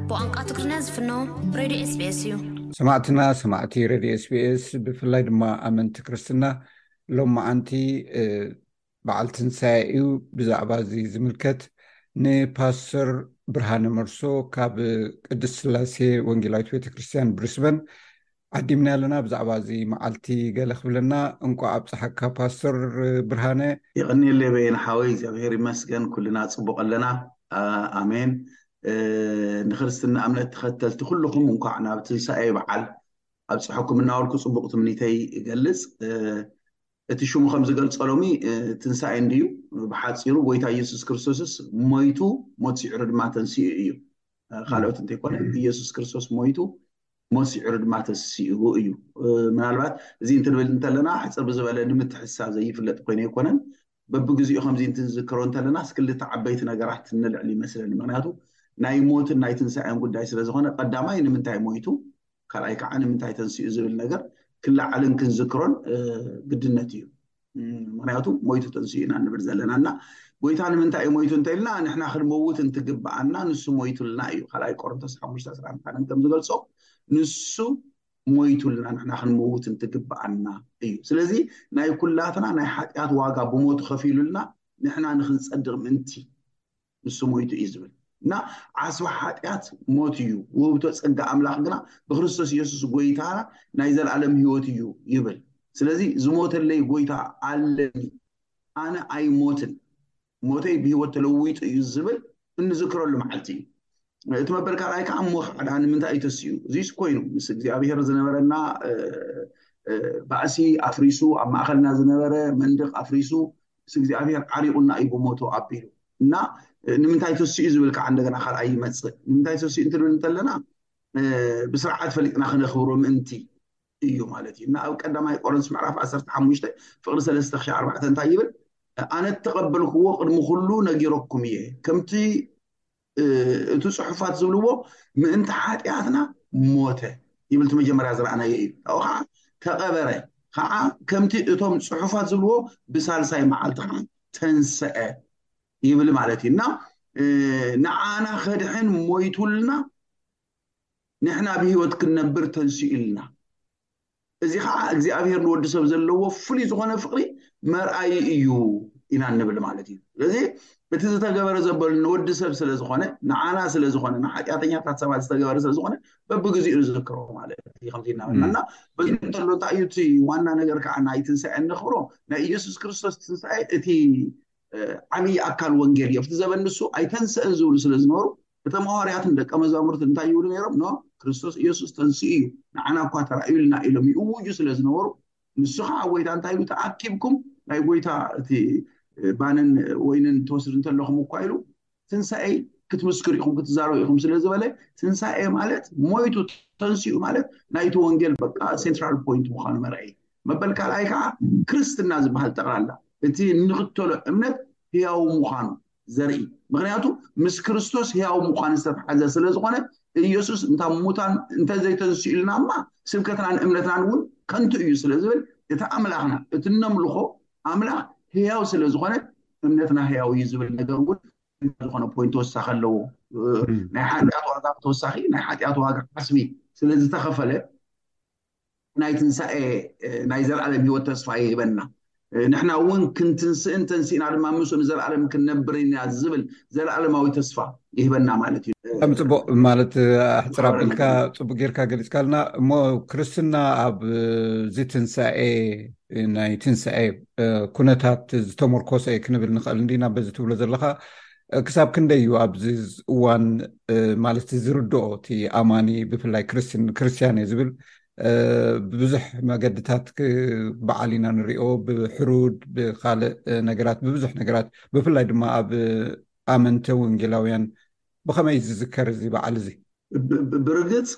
ብቋንቋ ትግርኛ ዝፍኖ ሬድዮ ኤስቢኤስ እዩ። ሰማዕትና ሰማዕቲ ሬድዮ ኤስቢኤስ፣ ብፍላይ ድማ ኣመንቲ ክርስትና፣ ሎም መዓንቲ በዓል ትንሳኤ እዩ። ብዛዕባ እዚ ዝምልከት ንፓስተር ብርሃነ መርሶ ካብ ቅድስት ስላሴ ወንጌላዊት ቤተክርስትያን ብሪስበን ዓዲምና ኣለና። ብዛዕባ እዚ መዓልቲ ገለ ክብለና። እንቋዕ ኣብፀሓካ ፓስተር ብርሃነ። የቐንየለይ በየነ ሓወይ፣ እግዚኣብሔር ይመስገን፣ ኩልና ጽቡቕ ኣለና። ኣሜን። ንክርስትና እምነት ተኸተልቲ ኩልኹም እንኳዕ ናብ ትንሳኤ በዓል ኣብፀሐኩም እናበልኩ ጽቡቕ ትምኒተይ እገልጽ። እቲ ሽሙ ከም ዝገልጾ ሎሚ ትንሳኤ እንድዩ። ብሓፂሩ ጎይታ ኢየሱስ ክርስቶስስ ሞይቱ፣ ሞት ስዒሩ ድማ ተንሲኡ እዩ። ካልኦት እንተይኮነ ኢየሱስ ክርስቶስ ሞይቱ፣ ሞት ስዒሩ ድማ ተንሲኡ እዩ። ምናልባት እዚ እንትንብል እንተለና ሕፅር ብዝበለ ንምትሕስሳብ ዘይፍለጥ ኮይኑ ኣይኮነን። በብግዚኡ ከምዚ እንትንዝክሮ እንተለና ክልተ ዓበይቲ ነገራት ንልዕል ይመስለኒ። ምክንያቱ ናይ ሞትን ናይ ትንሳኤን ጉዳይ ስለዝኾነ፣ ቀዳማይ ንምንታይ ሞይቱ፣ ካልኣይ ከዓ ንምንታይ ተንሲኡ ዝብል ነገር ክለዓልን ክንዝክሮን ግድነት እዩ። ምክንያቱ ሞይቱ ተንሲኡ ኢና ንብል ዘለና እና ጎይታ ንምንታይ እዩ ሞይቱ እንተኢልና ንሕና ክንመውት እንትግብኣና ንሱ ሞይቱልና እዩ። ካልኣይ ቆሮንቶስ ሓሙሽተ ዕስራን ሓደን ከም ዝገልጾ ንሱ ሞይቱልና ንሕና ክንመውት እንትግብኣና እዩ። ስለዚ ናይ ኩላትና ናይ ሓጢኣት ዋጋ ብሞቱ ከፊሉልና ንሕና ንክንጸድቕ ምእንቲ ንሱ ሞይቱ እዩ ዝብል እና ዓስቢ ሓጢኣት ሞት እዩ፣ ውህብቶ ጸጋ ኣምላኽ ግና ብክርስቶስ ኢየሱስ ጎይታ ናይ ዘለኣለም ህይወት እዩ ይብል። ስለዚ ዝሞተለይ ጎይታ ኣለኒ፣ ኣነ ኣይሞትን፣ ሞተይ ብህይወት ተለዊጡ እዩ ዝብል እንዝክረሉ መዓልቲ እዩ። እቲ መበል ካልኣይ ከዓ እሞ ከዓ ንምንታይ እዩ ተሲኡ? እዚስ ኮይኑ ምስ እግዚኣብሔር ዝነበረና ባእሲ ኣፍሪሱ፣ ኣብ ማእኸልና ዝነበረ መንድቕ ኣፍሪሱ፣ ምስ እግዚኣብሔር ዓሪቑና እዩ ብሞቱ ኣቢሉ እና ንምንታይ ተሲኡ ዝብል ከዓ እንደገና ካልኣይ ይመፅእ። ንምንታይ ተሲኡ እንትንብል እንተለና ብስርዓት ፈሊጥና ክነኽብሮ ምእንቲ እዩ ማለት እዩ እና ኣብ ቀዳማይ ቆሮንቶስ ምዕራፍ ዓሰርተ ሓሙሽተ ፍቕሪ ሰለስተ ክሻ ኣርባዕተ እንታይ ይብል? ኣነ እተቐበልክዎ ቅድሚ ኩሉ ነጊረኩም እየ፣ ከምቲ እቲ ጽሑፋት ዝብልዎ ምእንቲ ሓጢኣትና ሞተ ይብል። እቲ መጀመርያ ዝረኣናዮ እዩ። ካብኡ ከዓ ተቐበረ፣ ከዓ ከምቲ እቶም ጽሑፋት ዝብልዎ ብሳልሳይ መዓልቲ ከዓ ተንሰአ ይብል ማለት እዩ እና ንዓና ከድሕን ሞይቱልና፣ ንሕና ብህይወት ክንነብር ተንሲኡልና። እዚ ከዓ እግዚኣብሔር ንወዲ ሰብ ዘለዎ ፍሉይ ዝኾነ ፍቕሪ መርኣይ እዩ ኢና እንብል ማለት እዩ። ስለዚ እቲ ዝተገበረ ዘበሉ ንወዲ ሰብ ስለዝኾነ፣ ንዓና ስለዝኾነ፣ ንሓጢኣተኛታት ሰባት ዝተገበረ ስለዝኾነ በብግዚኡ ንዝክሮ ማለት እዩ። ከምዚ እናበልና እና በዚ እንተሎ እንታይ እዩ እቲ ዋና ነገር ከዓ ናይ ትንሳኤ እንኽብሮ ናይ ኢየሱስ ክርስቶስ ትንሳኤ እቲ ዓብዪ ኣካል ወንጌል እዩ። ኣብቲ ዘበን ንሱ ኣይተንስእን ዝብሉ ስለ ዝነበሩ እቶም ሃዋርያትን ደቀ መዛሙርትን እንታይ ይብሉ ነይሮም? ኖ ክርስቶስ ኢየሱስ ተንስኡ እዩ፣ ንዓና እኳ ተራእዩልና ኢሎም ይእውጁ ስለ ዝነበሩ ንሱ ከዓ ጎይታ እንታይ ኢሉ? ተኣኪብኩም ናይ ጎይታ እቲ ባንን ወይንን ትወስድ እንተለኹም እኳ ኢሉ ትንሳኤ ክትምስክሩ ኢኹም ክትዛረቡ ኢኹም ስለ ዝበለ ትንሳኤ ማለት ሞይቱ ተንሲኡ ማለት ናይቲ ወንጌል በቃ ሴንትራል ፖይንት ምዃኑ መርኣይ። መበል ካልኣይ ከዓ ክርስትና ዝበሃል ጠቕላላ እቲ እንኽተሎ እምነት ህያው ምዃኑ ዘርኢ። ምክንያቱ ምስ ክርስቶስ ህያው ምዃን ዝተተሓዘ ስለ ዝኾነ ኢየሱስ እንታ ሙታን እንተዘይተንስኡልና እማ ስብከትናን እምነትናን እውን ከንቱ እዩ ስለ ዝብል እቲ ኣምላኽና እቲ እነምልኾ ኣምላኽ ህያው ስለ ዝኾነ እምነትና ህያው እዩ ዝብል ነገር እውን ዝኾነ ፖይንት ተወሳኺ ኣለዎ። ናይ ሓጢኣት ዋጋ ተወሳኺ ናይ ሓጢኣት ዋጋ ዓስቢ ስለ ዝተኸፈለ ናይ ትንሳኤ ናይ ዘለኣለም ህይወት ተስፋ ይህበና። ንሕና እውን ክንትንስእን ተንሲእና ድማ ምስኡ ንዘለኣለም ክንነብር ኢና ዝብል ዘለኣለማዊ ተስፋ ይህበና ማለት እዩ። ከም ጽቡቕ ማለት ኣሕፅር ኣቢልካ ጽቡቕ ጌርካ ገሊጽካልና እሞ ክርስትና ኣብ እዚ ትንሳኤ ናይ ትንሳኤ ኩነታት ዝተመርኮሰ እዩ ክንብል ንኽእል እንዲና በዚ ትብሎ ዘለኻ ክሳብ ክንደይ እዩ ኣብዚ እዋን ማለት ዝርድኦ እቲ ኣማኒ ብፍላይ ክርስትያን እየ ዝብል ብብዙሕ መገድታት በዓል ኢና ንሪኦ ብሕሩድ ብካልእ ነገራት ብብዙሕ ነገራት ብፍላይ ድማ ኣብ ኣመንተ ወንጌላውያን ብኸመይ ዝዝከር እዚ በዓል እዚ? ብርግፅ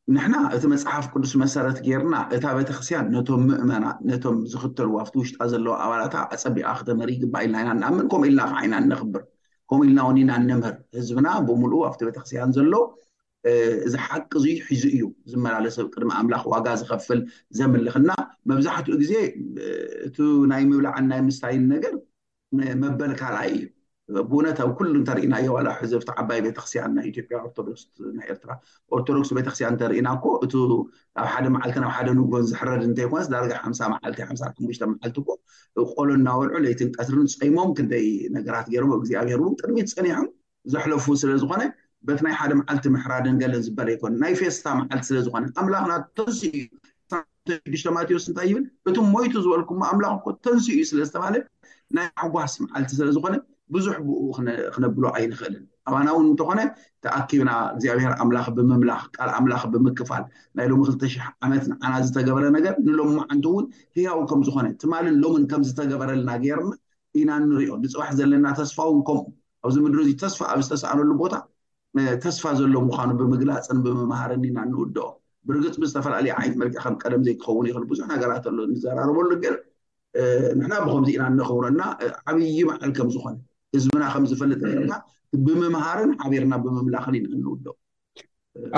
ንሕና እቲ መፅሓፍ ቅዱስ መሰረት ጌርና እታ ቤተክርስትያን ነቶም ምእመና ነቶም ዝኽተልዋ ኣብቲ ውሽጣ ዘለዉ ኣባላታ ኣፀቢቓ ክተመሪ ይግባእ ኢልና ኢና ንኣምን። ከምኡ ኢልና ከዓ ኢና እነኽብር። ከምኡ ኢልና እውን ኢና እነምህር። ህዝብና ብምሉኡ ኣብቲ ቤተክርስትያን ዘሎ እዚ ሓቂ እዚ ሒዙ እዩ ዝመላለስ። ኣብ ቅድሚ ኣምላኽ ዋጋ ዝኸፍል ዘምልኽና። መብዛሕትኡ ግዜ እቲ ናይ ምብላዕን ናይ ምስታይን ነገር መበል ካልኣይ እዩ። ብእውነት ኣብ ኩሉ እንተርኢናዮ ዋላ ሕዚ ኣብቲ ዓባይ ቤተክርስትያን ናይ ኢትዮጵያ ኦርቶዶክስ ናይ ኤርትራ ኦርቶዶክስ ቤተክርስትያን እንተርኢና እኮ እቱ ኣብ ሓደ መዓልቲ ናብ ሓደ ንጎን ዝሕረድ እንተይኮነስ ዳርጋ ሓምሳ መዓልቲ ሓምሳ ሓሙሽተ መዓልቲ እኮ ቆሎ እናበልዑ ለይትን ቀትርን ጸይሞም ክንደይ ነገራት ገይሮም እግዚኣብሔር እውን ቅድሚት ጸኒሖም ዘሕለፉ ስለ ዝኾነ በቲ ናይ ሓደ መዓልቲ ምሕራድን ገለን ዝበለ ኣይኮነ ናይ ፌስታ መዓልቲ ስለ ዝኾነ ኣምላኽና ተንስኡ ሽዱሽተ ማቴዎስ እንታይ ይብል? እቲ ሞይቱ ዝበልኩሞ ኣምላኽ እኮ ተንስኡ እዩ ስለ ዝተባለ ናይ ሓጓስ መዓልቲ ስለ ዝኾነ ብዙሕ ብኡ ክነብሎ ኣይንኽእልን። ኣባና እውን እንተኾነ ተኣኪብና እግዚኣብሔር ኣምላኽ ብምምላኽ ቃል ኣምላኽ ብምክፋል ናይ ሎሚ ክልተ ሽሕ ዓመት ንዓና ዝተገበረ ነገር ንሎሚ መዓንቱ እውን ህያው ከም ዝኾነ ትማልን ሎምን ከም ዝተገበረልና ገይርና ኢና ንሪኦ። ንፅባሕ ዘለና ተስፋ እውን ከምኡ ኣብዚ ምድሪ እዚ ተስፋ ኣብ ዝተሰኣነሉ ቦታ ተስፋ ዘሎ ምዃኑ ብምግላፅን ብምምሃርን ኢና እንውድኦ። ብርግፅ ብዝተፈላለየ ዓይነት መልክዕ ከም ቀደም ዘይክኸውን ይኽእል ብዙሕ ነገራት ኣሎ እንዘራረበሉ ግን ንሕና ብከምዚ ኢና እነኽብረና ዓብዪ በዓል ከም ዝኾነ ህዝብና ከም ዝፈልጥ ጌርና ብምምሃርን ሓቢርና ብምምላኽን ኢና እንውድኦ።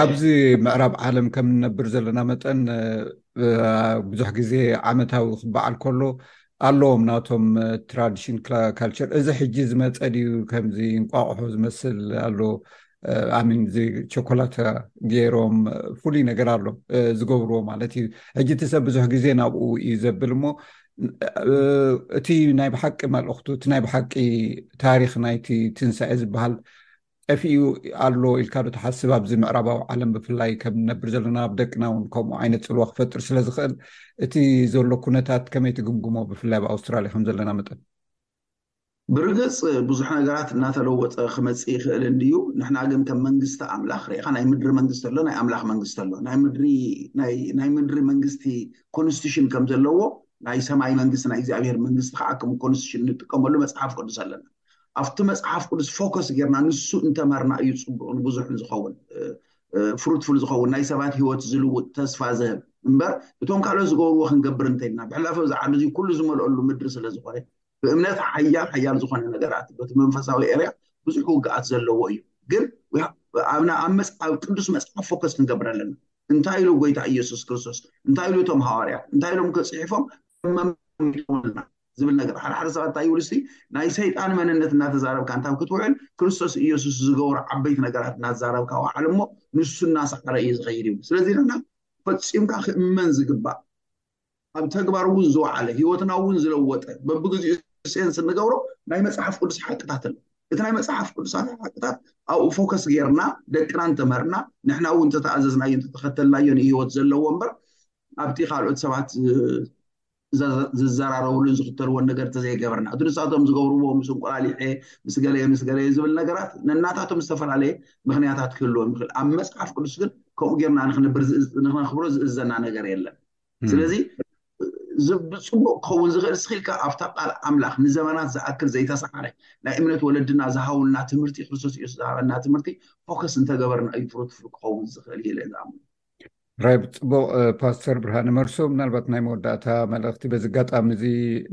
ኣብዚ ምዕራብ ዓለም ከም ንነብር ዘለና መጠን ብዙሕ ግዜ ዓመታዊ ክበዓል ከሎ ኣለዎም ናቶም ትራዲሽን ካልቸር። እዚ ሕጂ ዝመፀ ድዩ? ከምዚ እንቋቑሖ ዝመስል ኣሎ ኣሚን ቸኮላታ ገይሮም ፍሉይ ነገር ኣሎ ዝገብርዎ ማለት እዩ። ሕጂ እቲ ሰብ ብዙሕ ግዜ ናብኡ እዩ ዘብል እሞ እቲ ናይ ብሓቂ መልእኽቱ እቲ ናይ ብሓቂ ታሪክ ናይቲ ትንሳኤ ዝበሃል ጠፊኡ ኣሎ ኢልካ ዶ ትሓስብ? ኣብዚ ምዕራባዊ ዓለም ብፍላይ ከም ንነብር ዘለና ኣብ ደቅና እውን ከምኡ ዓይነት ፅልዋ ክፈጥር ስለ ዝኽእል እቲ ዘሎ ኩነታት ከመይ ትግምግሞ? ብፍላይ ኣብ ኣውስትራልያ ከም ዘለና መጠን ብርግፅ ብዙሕ ነገራት እናተለወጠ ክመፅእ ይኽእል እንድዩ። ንሕና ግን ከም መንግስቲ ኣምላኽ ርኢኻ ናይ ምድሪ መንግስቲ ኣሎ፣ ናይ ኣምላኽ መንግስቲ ኣሎ። ናይ ምድሪ መንግስቲ ኮንስቲቱሽን ከም ዘለዎ ናይ ሰማይ መንግስቲ ናይ እግዚኣብሔር መንግስቲ ከዓ ከም ኮንስቲቱሽን እንጥቀመሉ መፅሓፍ ቅዱስ ኣለና። ኣብቲ መፅሓፍ ቅዱስ ፎከስ ጌርና ንሱ እንተመርና እዩ ፅቡቕን ብዙሕን ዝኸውን ፍሩትፉል ዝኸውን ናይ ሰባት ህይወት ዝልውጥ ተስፋ ዝህብ እምበር እቶም ካልኦት ዝገብርዎ ክንገብር እንተይልና ብሕላፈ እዚ ዓዲ እዚ ኩሉ ዝመልአሉ ምድሪ ስለ ዝኾነ ብእምነት ሓያል ሓያል ዝኾነ ነገራት በቲ መንፈሳዊ ኤርያ ብዙሕ ውግኣት ዘለዎ እዩ። ግን ኣብ መፅሓፍ ቅዱስ መፅሓፍ ፎከስ ክንገብር ኣለና። እንታይ ኢሉ ጎይታ ኢየሱስ ክርስቶስ? እንታይ ኢሉ እቶም ሃዋርያት? እንታይ ኢሎም ክፅሒፎም? ዝብል ነገር ሓደ ሓደ ሰባት እንታይ ይብሉ እስቲ ናይ ሰይጣን መንነት እናተዛረብካ እንታብ ክትውዕል ክርስቶስ ኢየሱስ ዝገብሩ ዓበይቲ ነገራት እናተዛረብካ ውዓል እሞ ንሱ እናሰዓረ እዩ ዝኸይድ እዩ። ስለዚ ንሕና ፈፂምካ ክእመን ዝግባእ ኣብ ተግባር እውን ዝወዓለ ህይወትና እውን ዝለወጠ በብግዚኡ ሴንስ እንገብሮ ናይ መፅሓፍ ቅዱስ ሓቅታት ኣሎ። እቲ ናይ መፅሓፍ ቅዱሳት ሓቅታት ኣብኡ ፎከስ ጌርና ደቅና እንተምህርና ንሕና እውን እንተተኣዘዝናዮ እንተተኸተልናዮ ንህይወት ዘለዎ እምበር ኣብቲ ካልኦት ሰባት ዝዘራረብሉን ዝኽተልዎን ነገር ተዘይገበርና እቲ ንሳቶም ዝገብርዎ ምስ እንቁላሊሐ ምስ ገለየ ምስ ገለየ ዝብል ነገራት ነናታቶም ዝተፈላለየ ምክንያታት ክህልዎም ይኽእል። ኣብ መፅሓፍ ቅዱስ ግን ከምኡ ጌርና ንክነብር ንክነኽብሮ ዝእዘና ነገር የለን። ስለዚ ብፅቡቅ ክኸውን ዝኽእል ስኺልካ ኣብታ ቃል ኣምላኽ ንዘመናት ዝኣክል ዘይተሰዓረ ናይ እምነት ወለድና ዝሃውልና ትምህርቲ ክርስቶስ ኢየሱስ ዝሃበና ትምህርቲ ፎከስ እንተገበርና እዩ ፍሩትፉል ክኸውን ዝኽእል ኢለ ዝኣምኑ። ራይ ብፅቡቅ ፓስተር ብርሃነ መርሶ ምናልባት ናይ መወዳእታ መልእኽቲ በዚ ኣጋጣሚ እዚ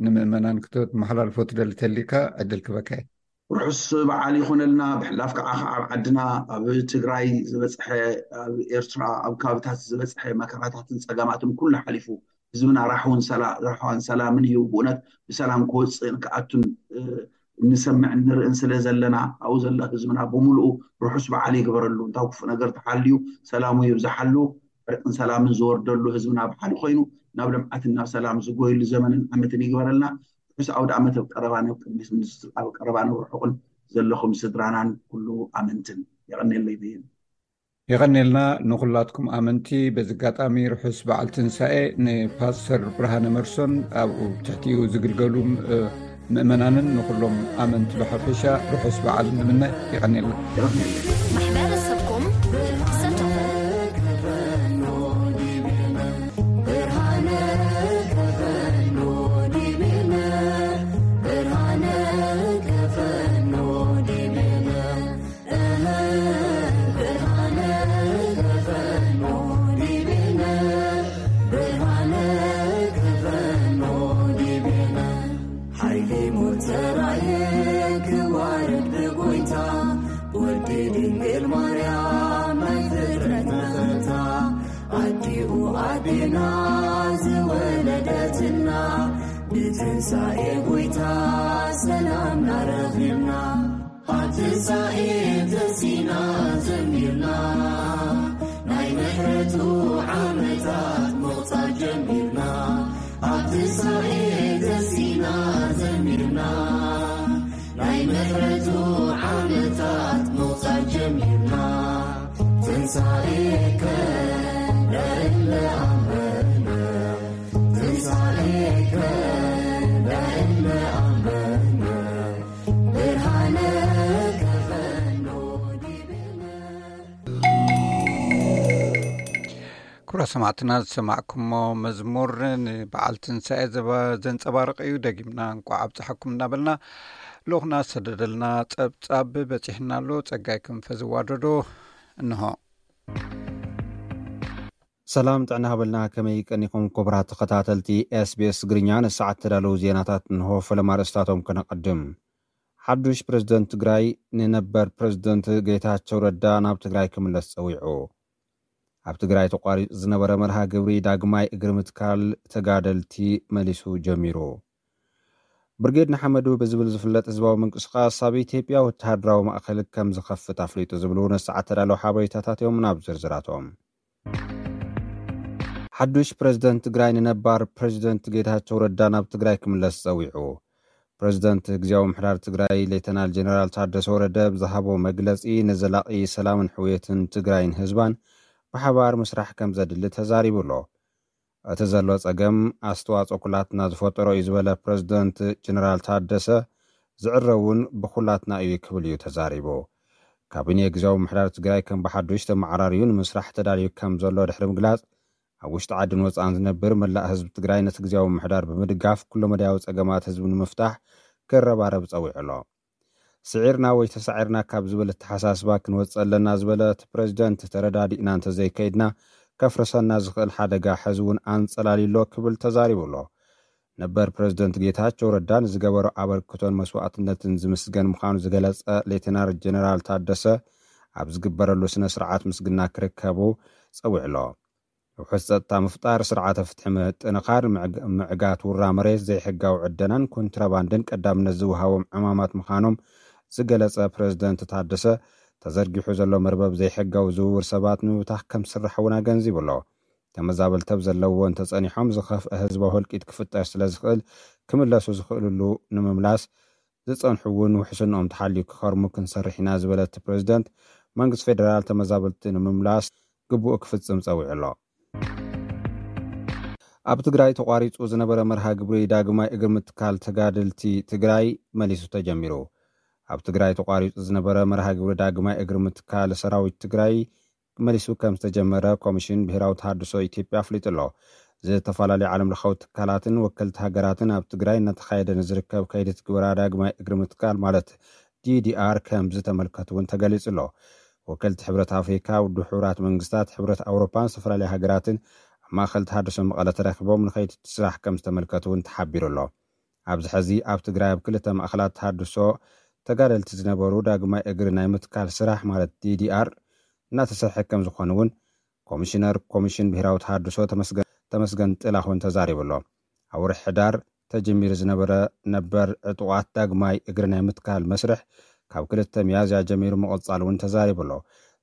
ንምእመናን ክተመሓላልፎ ትደሊ ተሊካ ዕድል ክበካ እየ። ርሑስ በዓል ይኹነልና። ብሕላፍ ከዓ ኣብ ዓድና ኣብ ትግራይ ዝበፅሐ ኣብ ኤርትራ ኣብ ከባብታት ዝበፅሐ መከራታትን ፀገማትን ኩሉ ሓሊፉ ህዝብና ራሕውን ሰላ ራሕዋን ሰላምን እዩ። ብእውነት ብሰላም ክወፅእን ክኣቱን እንሰምዕን ንርእን ስለ ዘለና ኣብኡ ዘሎ ህዝብና ብምሉኡ ርሑስ በዓል ይግበረሉ። እንታው ክፉእ ነገር ተሓልዩ ሰላሙ ይብዝሓሉ። ዕርቅን ሰላምን ዝወርደሉ ህዝብና ብሓደ ኮይኑ ናብ ልምዓትን ናብ ሰላም ዝጎይሉ ዘመንን ዓመትን ይግበረልና። ርሑስ ኣውደ ዓመት ኣብ ቀረባ ናብ ቅድሚት ምስ ኣብ ቀረባ ናብ ርሑቕን ዘለኹም ስድራናን ኩሉ ኣመንትን። የቐኔለይ በየን። የቐኔልና ንኹላትኩም ኣመንቲ። በዚ ኣጋጣሚ ርሑስ በዓል ትንሳኤ ንፓስተር ብርሃነ መርሶን ኣብኡ ትሕቲኡ ዝግልገሉ ምእመናንን ንኹሎም ኣመንቲ ብሓፈሻ ርሑስ በዓል ንምነ። የቐኔልና። ማሕበረሰብኩም ክሰተኹም ኣዴና ዝወለደትና ብትንሳኤ ጎይታ ሰላምና ረኺብና። ኣብ ትንሳኤ ተሲና ዘሚርና ናይ ምሕረቱ ዓመታት ምቕጻል ጀሚርና። ኣብ ትንሳኤ ተሲና ዘሚርና ናይ ምሕረቱ ዓመታት ምቕጻል ጀሚርና። ትንሳኤከ ለእለ ኣመነ፣ ትንሳኤከ ለእለ ኣመነ፣ ብርሃነ ከፈኖ ዲብነ። ክቡራት ሰማዕትና፣ ዝሰማዕኩሞ መዝሙር ንበዓል ትንሳኤ ዘባ-፣ ዘንጸባርቕ እዩ። ደጊምና እንቋዕ ኣብጽሓኩም እናበልና፣ ልኡኽና ዝሰደደልና ጸብጻብ በጺሕና ኣሎ። ጸጋይ ክንፈ ዝዋደዶ እንሆ። ሰላም ጥዕና ሃበልና፣ ከመይ ቀኒኹም ክቡራት ተኸታተልቲ ኤስቢኤስ ትግርኛ? ንሰዓት ተዳለዉ ዜናታት እንሆ። ፈለማ ርእስታቶም ከነቐድም። ሓዱሽ ፕሬዝደንት ትግራይ ንነበር ፕሬዝደንት ጌታቸው ረዳ ናብ ትግራይ ክምለስ ጸዊዑ። ኣብ ትግራይ ተቋሪጹ ዝነበረ መርሃ ግብሪ ዳግማይ እግሪ ምትካል ተጋደልቲ መሊሱ ጀሚሩ። ብርጌድ ንሓመዱ ብዝብል ዝፍለጥ ህዝባዊ ምንቅስቓስ ኣብ ኢትዮጵያ ወተሃደራዊ ማእከል ከም ዝኸፍት ኣፍሊጡ ዝብሉ ንሰዓት ተዳለዉ ሓበሬታታት እዮም። ናብ ዝርዝራቶም። ሓዱሽ ፕሬዝደንት ትግራይ ንነባር ፕሬዝደንት ጌታቸው ረዳ ናብ ትግራይ ክምለስ ጸዊዑ። ፕሬዝደንት ግዝያዊ ምሕዳር ትግራይ ሌተናል ጀነራል ታደሰ ወረደ ብዝሃቦ መግለጺ፣ ንዘላቒ ሰላምን ሕውየትን ትግራይን ህዝባን ብሓባር ምስራሕ ከም ዘድሊ ተዛሪቡ ኣሎ። እቲ ዘሎ ጸገም ኣስተዋጽኦ ኩላትና ዝፈጠሮ እዩ ዝበለ ፕሬዝደንት ጀነራል ታደሰ፣ ዝዕረ እውን ብኩላትና እዩ ክብል እዩ ተዛሪቡ። ካቢኔ ግዝያዊ ምሕዳር ትግራይ ከም ብሓዱሽ ተመዓራርዩ ንምስራሕ ተዳልዩ ከም ዘሎ ድሕሪ ምግላጽ፣ ኣብ ውሽጢ ዓድን ወጻእን ዝነብር መላእ ህዝቢ ትግራይ ነቲ ግዝያዊ ምሕዳር ብምድጋፍ ኩለመዳያዊ ጸገማት ህዝቢ ንምፍታሕ ክረባረብ ጸዊዑ ኣሎ። ስዒርና ወይ ተሳዒርና ካብ ዝብል ኣተሓሳስባ ክንወጽእ ኣለና ዝበለ እቲ ፕሬዝደንት፣ ተረዳዲእና እንተዘይከይድና ከፍርሰና ዝኽእል ሓደጋ ሕዚ እውን ኣንጸላልዩ ኣሎ ክብል ተዛሪቡ ኣሎ። ነበር ፕሬዝደንት ጌታቸው ረዳ ንዝገበሮ ኣበርክቶን መስዋእትነትን ዝምስገን ምዃኑ ዝገለጸ ሌተናል ጀነራል ታደሰ፣ ኣብ ዝግበረሉ ስነ ስርዓት ምስግና ክርከቡ ጸዊዑ ኣሎ። ውሑስ ጸጥታ ምፍጣር፣ ስርዓተ ፍትሒ ምጥንኻር፣ ምዕግ-፣ ምዕጋት ውራ መሬት፣ ዘይሕጋዊ ዕደናን ኮንትራባንድን ቀዳምነት ዝወሃቦም ዕማማት ምዃኖም ዝገለጸ ፕሬዝደንት ታደሰ፣ ተዘርጊሑ ዘሎ መርበብ ዘይሕጋዊ ዝውውር ሰባት ንምብታኽ ከም ዝስራሕ እውን ኣገንዚቡ ኣሎ። ተመዛበልቲ ኣብ ዘለውዎ እንተጸኒሖም ዝኸፍአ ህዝባዊ ህልቂት ክፍጠር ስለ ዝኽእል፣ ክምለሱ ዝኽእልሉ ንምምላስ ዝጸንሑ እውን ውሕስንኦም ተሓልዩ ክኸርሙ ክንሰርሕ ኢና ዝበለ እቲ ፕሬዝደንት፣ መንግስቲ ፌደራል ተመዛበልቲ ንምምላስ ግቡኡ ክፍጽም ጸዊዑ ኣሎ። ኣብ ትግራይ ተቋሪጹ ዝነበረ መርሃ ግብሪ ዳግማይ እግሪ ምትካል ተጋደልቲ ትግራይ መሊሱ ተጀሚሩ። ኣብ ትግራይ ተቋሪጹ ዝነበረ መርሃ ግብሪ ዳግማይ እግሪ ምትካል ሰራዊት ትግራይ መሊሱ ከም ዝተጀመረ ኮሚሽን ብሄራዊ ተሃድሶ ኢትዮጵያ ኣፍሊጡ ኣሎ። ዝተፈላለዩ ዓለም ለኻዊ ትካላትን ወከልቲ ሃገራትን ኣብ ትግራይ እናተኻየደ ንዝርከብ ከይዲ ትግበራ ዳግማይ እግሪ ምትካል ማለት ዲዲኣር ከም ዝተመልከቱ እውን ተገሊጹ ኣሎ። ወከልቲ ሕብረት ኣፍሪካ፣ ውድብ ሕቡራት መንግስታት፣ ሕብረት ኣውሮፓን ዝተፈላለዩ ሃገራትን ኣብ ማእኸል ተሃድሶ መቐለ ተረኺቦም ንኸይዲ እቲ ስራሕ ከም ዝተመልከቱ እውን ተሓቢሩ ኣሎ። ኣብዚ ሕዚ ኣብ ትግራይ ኣብ ክልተ ማእኸላት ተሃድሶ ተጋደልቲ ዝነበሩ ዳግማይ እግሪ ናይ ምትካል ስራሕ ማለት ዲዲኣር እናተሰርሐ ከም ዝኾነ እውን ኮሚሽነር ኮሚሽን ብሄራዊ ተሃድሶ ተመስገን፣ ተመስገን ጥላሁን ተዛሪቡ ኣሎ። ኣብ ወርሒ ሕዳር ተጀሚሩ ዝነበረ ነበር ዕጡቓት ዳግማይ እግሪ ናይ ምትካል መስርሕ ካብ ክልተ ሚያዝያ ጀሚሩ ምቕጻሉ እውን ተዛሪቡ ኣሎ።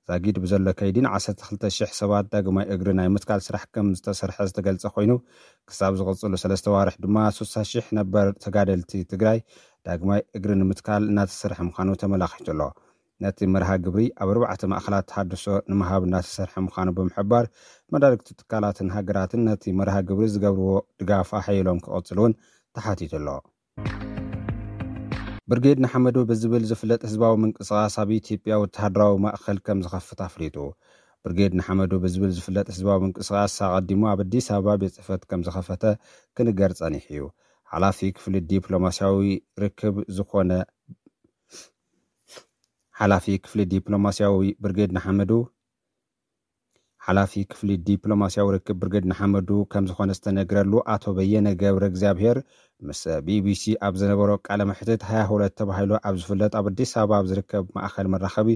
ዛጊድ ብዘሎ ከይዲ ን ዓሰርተ ክልተ ሽሕ ሰባት ዳግማይ እግሪ ናይ ምትካል ስራሕ ከም ዝተሰርሐ ዝተገልጸ ኮይኑ፣ ክሳብ ዝቕጽሉ ሰለስተ ዋርሕ ድማ ስሳ ሽሕ ነበር ተጋደልቲ ትግራይ ዳግማይ እግሪ ንምትካል እናተሰርሐ ምዃኑ ተመላኺቱ ኣሎ። ነቲ መርሃ ግብሪ ኣብ ኣርባዕተ ማእኸላት ተሃድሶ ንምሃብ እናተሰርሐ ምዃኑ ብምሕባር፣ መዳርግቲ ትካላትን ሃገራትን ነቲ መርሃ ግብሪ ዝገብርዎ ድጋፍ ኣሐይሎም ክቕጽሉ እውን ተሓቲቱ ኣሎ። ብርጌድ ንሓመዱ ብዝብል ዝፍለጥ ህዝባዊ ምንቅስቓስ ኣብ ኢትዮጵያ ወተሃደራዊ ማእኸል ከም ዝኸፍት ኣፍሊጡ። ብርጌድ ንሓመዱ ብዝብል ዝፍለጥ ህዝባዊ ምንቅስቓስ ኣቐዲሙ ኣብ ኣዲስ ኣበባ ቤት ጽሕፈት ከም ዝኸፈተ ክንገር ጸኒሑ እዩ። ሓላፊ ክፍሊ ዲፕሎማስያዊ ርክብ ዝኾነ፣ ሓላፊ ክፍሊ ዲፕሎማስያዊ ብርጌድ ንሓመዱ፣ ሓላፊ ክፍሊ ዲፕሎማስያዊ ርክብ ብርጌድ ንሓመዱ ከም ዝኾነ ዝተነግረሉ ኣቶ በየነ ገብረ እግዚኣብሔር ምስ ቢቢሲ ኣብ ዝነበሮ ቃለ መሕትት ሃያ ሁለት ተባሂሉ ኣብ ዝፍለጥ ኣብ ኣዲስ ኣበባ ኣብ ዝርከብ ማእኸል መራኸቢ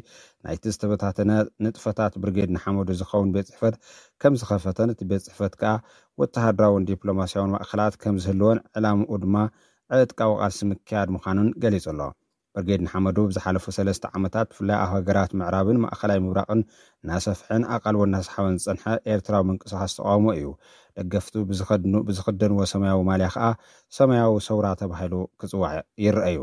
ናይቲ ዝተበታተነ ንጥፈታት ብርጌድ ንሓመዱ ዝኸውን ቤት ጽሕፈት ከም ዝኸፈተን እቲ ቤት ጽሕፈት ከኣ ወተሃደራውን ዲፕሎማስያውን ማእኸላት ከም ዝህልወን ዕላምኡ ድማ ዕጥቃዊ ቃልሲ ምክያድ ምዃኑን ገሊጹ ኣሎ። ብርጌድ ንሓመዱ ብዝሓለፉ ሰለስተ ዓመታት ብፍላይ ኣብ ሃገራት ምዕራብን ማእኸላይ ምብራቕን እናሰፍሐን ኣቓልቦ እናሰሓበን ዝጸንሐ ኤርትራዊ ምንቅስቓስ ተቓውሞ እዩ። ደገፍቱ ብዝኸድኑ ብዝኽደንዎ ሰማያዊ ማልያ ከኣ ሰማያዊ ሰውራ ተባሂሉ ክጽዋዕ ይረኣዩ።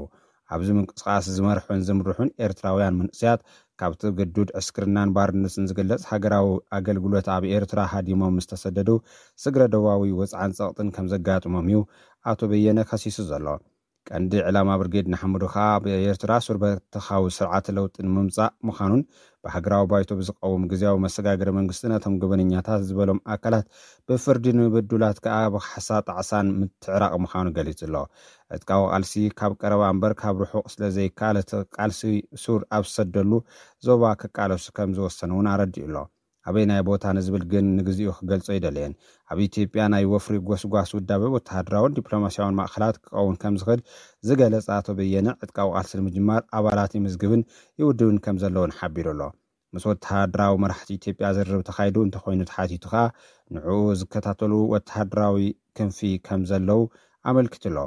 ኣብዚ ምንቅስቓስ ዝመርሑን ዝምርሑን ኤርትራውያን መንእሰያት ካብቲ ግዱድ ዕስክርናን ባርነትን ዝግለጽ ሃገራዊ ኣገልግሎት ኣብ ኤርትራ ሃዲሞም ምስ ተሰደዱ ስግረ ዶባዊ ወጽዓን ጸቕጥን ከም ዘጋጥሞም እዩ ኣቶ በየነ ከሲሱ ዘሎ። ቀንዲ ዕላማ ብርጌድ ንሓመዱ ከኣ ኣብ ኤርትራ ሱር በተኻዊ ስርዓተ ለውጢ ንምምጻእ ምዃኑን ብሃገራዊ ባይቶ ብዝቐውም ግዝያዊ መሰጋገሪ መንግስቲ ነቶም ገበነኛታት ዝበሎም ኣካላት ብፍርዲ ንምብዱላት ከኣ ብካሕሳ ጣዕሳን ምትዕራቕ ምዃኑ ገሊጹ ኣሎ። ዕጥቃዊ ቃልሲ ካብ ቀረባ እምበር ካብ ርሑቕ ስለ ዘይከኣል እቲ ቃልሲ ሱር ኣብ ዝሰደሉ ዞባ ክቃለሱ ከም ዝወሰኑ እውን ኣረዲኡ ኣሎ። ኣበይ ናይ ቦታ ንዝብል ግን ንግዚኡ ክገልጾ ኣይደለየን። ኣብ ኢትዮጵያ ናይ ወፍሪ ጎስጓስ ውዳበ ወተሃደራውን ዲፕሎማስያውን ማእኸላት ክኸውን ከም ዝኽእል ዝገለጸ ኣቶ በየነ ዕጥቃዊ ቃልሲ ንምጅማር ኣባላት ይምዝግብን ይውድብን ከም ዘለውን ሓቢሩ ኣሎ። ምስ ወተሃደራዊ መራሕቲ ኢትዮጵያ ዝርርብ ተኻይዱ እንተኾይኑ ተሓቲቱ ከኣ ንዕኡ ዝከታተሉ ወተሃደራዊ ክንፊ ከም ዘለዉ ኣመልኪቱ ኣሎ።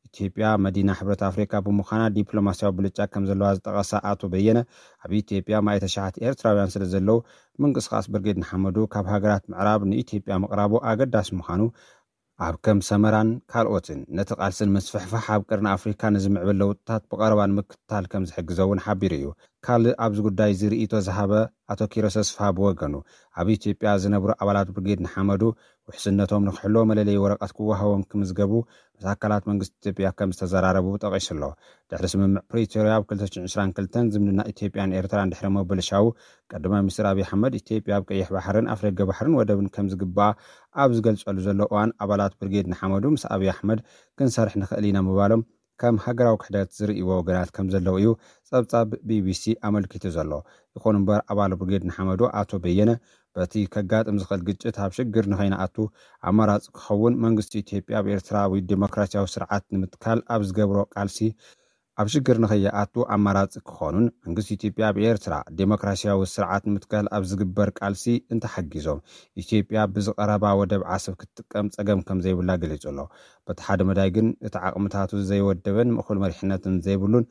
ኢትዮጵያ መዲና ሕብረት ኣፍሪካ ብምዃና ዲፕሎማስያዊ ብልጫ ከም ዘለዋ ዝጠቐሰ ኣቶ በየነ ኣብ ኢትዮጵያ ማእቲ ሸሓት ኤርትራውያን ስለ ዘለዉ ምንቅስቓስ ብርጌድ ንሓመዱ ካብ ሃገራት ምዕራብ ንኢትዮጵያ ምቕራቡ ኣገዳሲ ምዃኑ ኣብ ከም ሰመራን ካልኦትን ነቲ ቃልስን ምስፍሕፋሕ ኣብ ቀርኒ ኣፍሪካ ንዝምዕብል ለውጥታት ብቐረባ ንምክትታል ከም ዝሕግዞ እውን ሓቢሩ እዩ። ካልእ ኣብዚ ጉዳይ እዚ ርእይቶ ዝሃበ ኣቶ ኪሮስ ኣስፍሃ ብወገኑ ኣብ ኢትዮጵያ ዝነብሩ ኣባላት ብርጌድ ንሓመዱ ውሕስነቶም ንክሕልዎ መለለይ ወረቐት ክወሃቦም ክምዝገቡ ምስ ኣካላት መንግስቲ ኢትዮጵያ ከም ዝተዘራረቡ ጠቒሱ ኣሎ። ድሕሪ ስምምዕ ፕሪቶርያ ኣብ ክልተ ሽሕን ዕስራን ክልተን ዝምድና ኢትዮጵያን ኤርትራን ድሕሪ ምብልሻዉ ቀዳማይ ሚኒስትር ኣብይ ኣሕመድ ኢትዮጵያ ኣብ ቀይሕ ባሕርን ኣፍደገ ባሕርን ወደብን ከም ዝግባኣ ኣብ ዝገልጸሉ ዘሎ እዋን ኣባላት ብርጌድ ንሓመዱ ምስ ኣብይ ኣሕመድ ክንሰርሕ ንኽእል ኢና ምባሎም ከም ሃገራዊ ክሕደት ዝርእይዎ ወገናት ከም ዘለዉ እዩ ጸብጻብ ቢቢሲ ኣመልኪቱ ዘሎ። ይኹን እምበር ኣባል ብርጌድ ንሓመዱ ኣቶ በየነ በቲ ከጋጥም ዝኽእል ግጭት ኣብ ሽግር ንኸይንኣቱ ኣማራጺ ክኸውን መንግስቲ ኢትዮጵያ ኣብ ኤርትራዊ ዲሞክራሲያዊ ስርዓት ንምትካል ኣብ ዝገብሮ ቃልሲ ኣብ ሽግር ንኸይኣቱ ኣማራጺ ክኾኑን መንግስቲ ኢትዮጵያ ኣብ ኤርትራ ዲሞክራሲያዊ ስርዓት ንምትካል ኣብ ዝግበር ቃልሲ እንተሓጊዞም ኢትዮጵያ ብዝቐረባ ወደብ ዓሰብ ክትጥቀም ጸገም ከም ዘይብላ ገሊጹ ኣሎ። በቲ ሓደ መዳይ ግን እቲ ዓቕምታቱ ዘይወደበን ምእኹል መሪሕነትን ዘይብሉን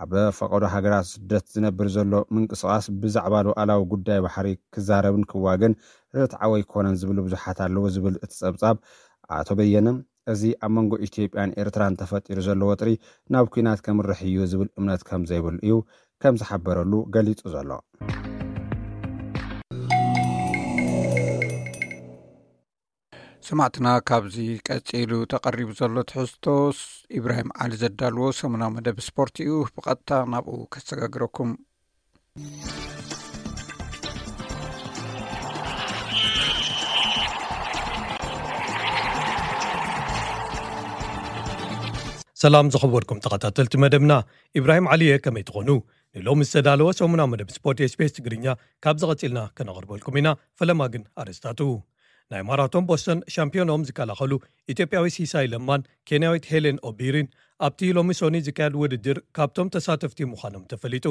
ኣብ ፈቐዶ ሃገራት ስደት ዝነብር ዘሎ ምንቅስቓስ ብዛዕባ ሉዓላዊ ጉዳይ ባሕሪ ክዛረብን ክዋገን ርትዓዊ ኣይኮነን ዝብሉ ብዙሓት ኣለዉ ዝብል እቲ ጸብጻብ ኣቶ በየነ እዚ ኣብ መንጎ ኢትዮጵያን ኤርትራን ተፈጢሩ ዘሎ ወጥሪ ናብ ኲናት ከምርሕ እዩ ዝብል እምነት ከም ዘይብሉ እዩ ከም ዝሓበረሉ ገሊጹ ዘሎ። ሰማዕትና ካብዚ ቀጺሉ ተቐሪቡ ዘሎ ትሕዝቶስ ኢብራሂም ዓሊ ዘዳልዎ ሰሙናዊ መደብ ስፖርት እዩ። ብቐጥታ ናብኡ ከሰጋግረኩም። ሰላም ዝኸበርኩም ተኸታተልቲ መደብና፣ ኢብራሂም ዓሊየ ከመይ ትኾኑ? ንሎሚ ዝተዳለወ ሰሙናዊ መደብ ስፖርት ኤስቢኤስ ትግርኛ ካብ ዝቐጺልና ከነቕርበልኩም ኢና። ፈለማ ግን ኣርእስታቱ። ናይ ማራቶን ቦስተን ሻምፒዮኖም ዝከላኸሉ ኢትዮጵያዊ ሲሳይ ለማን ኬንያዊት ሄሌን ኦቢሪን ኣብቲ ሎሚ ሶኒ ዝካየድ ውድድር ካብቶም ተሳተፍቲ ምዃኖም ተፈሊጡ።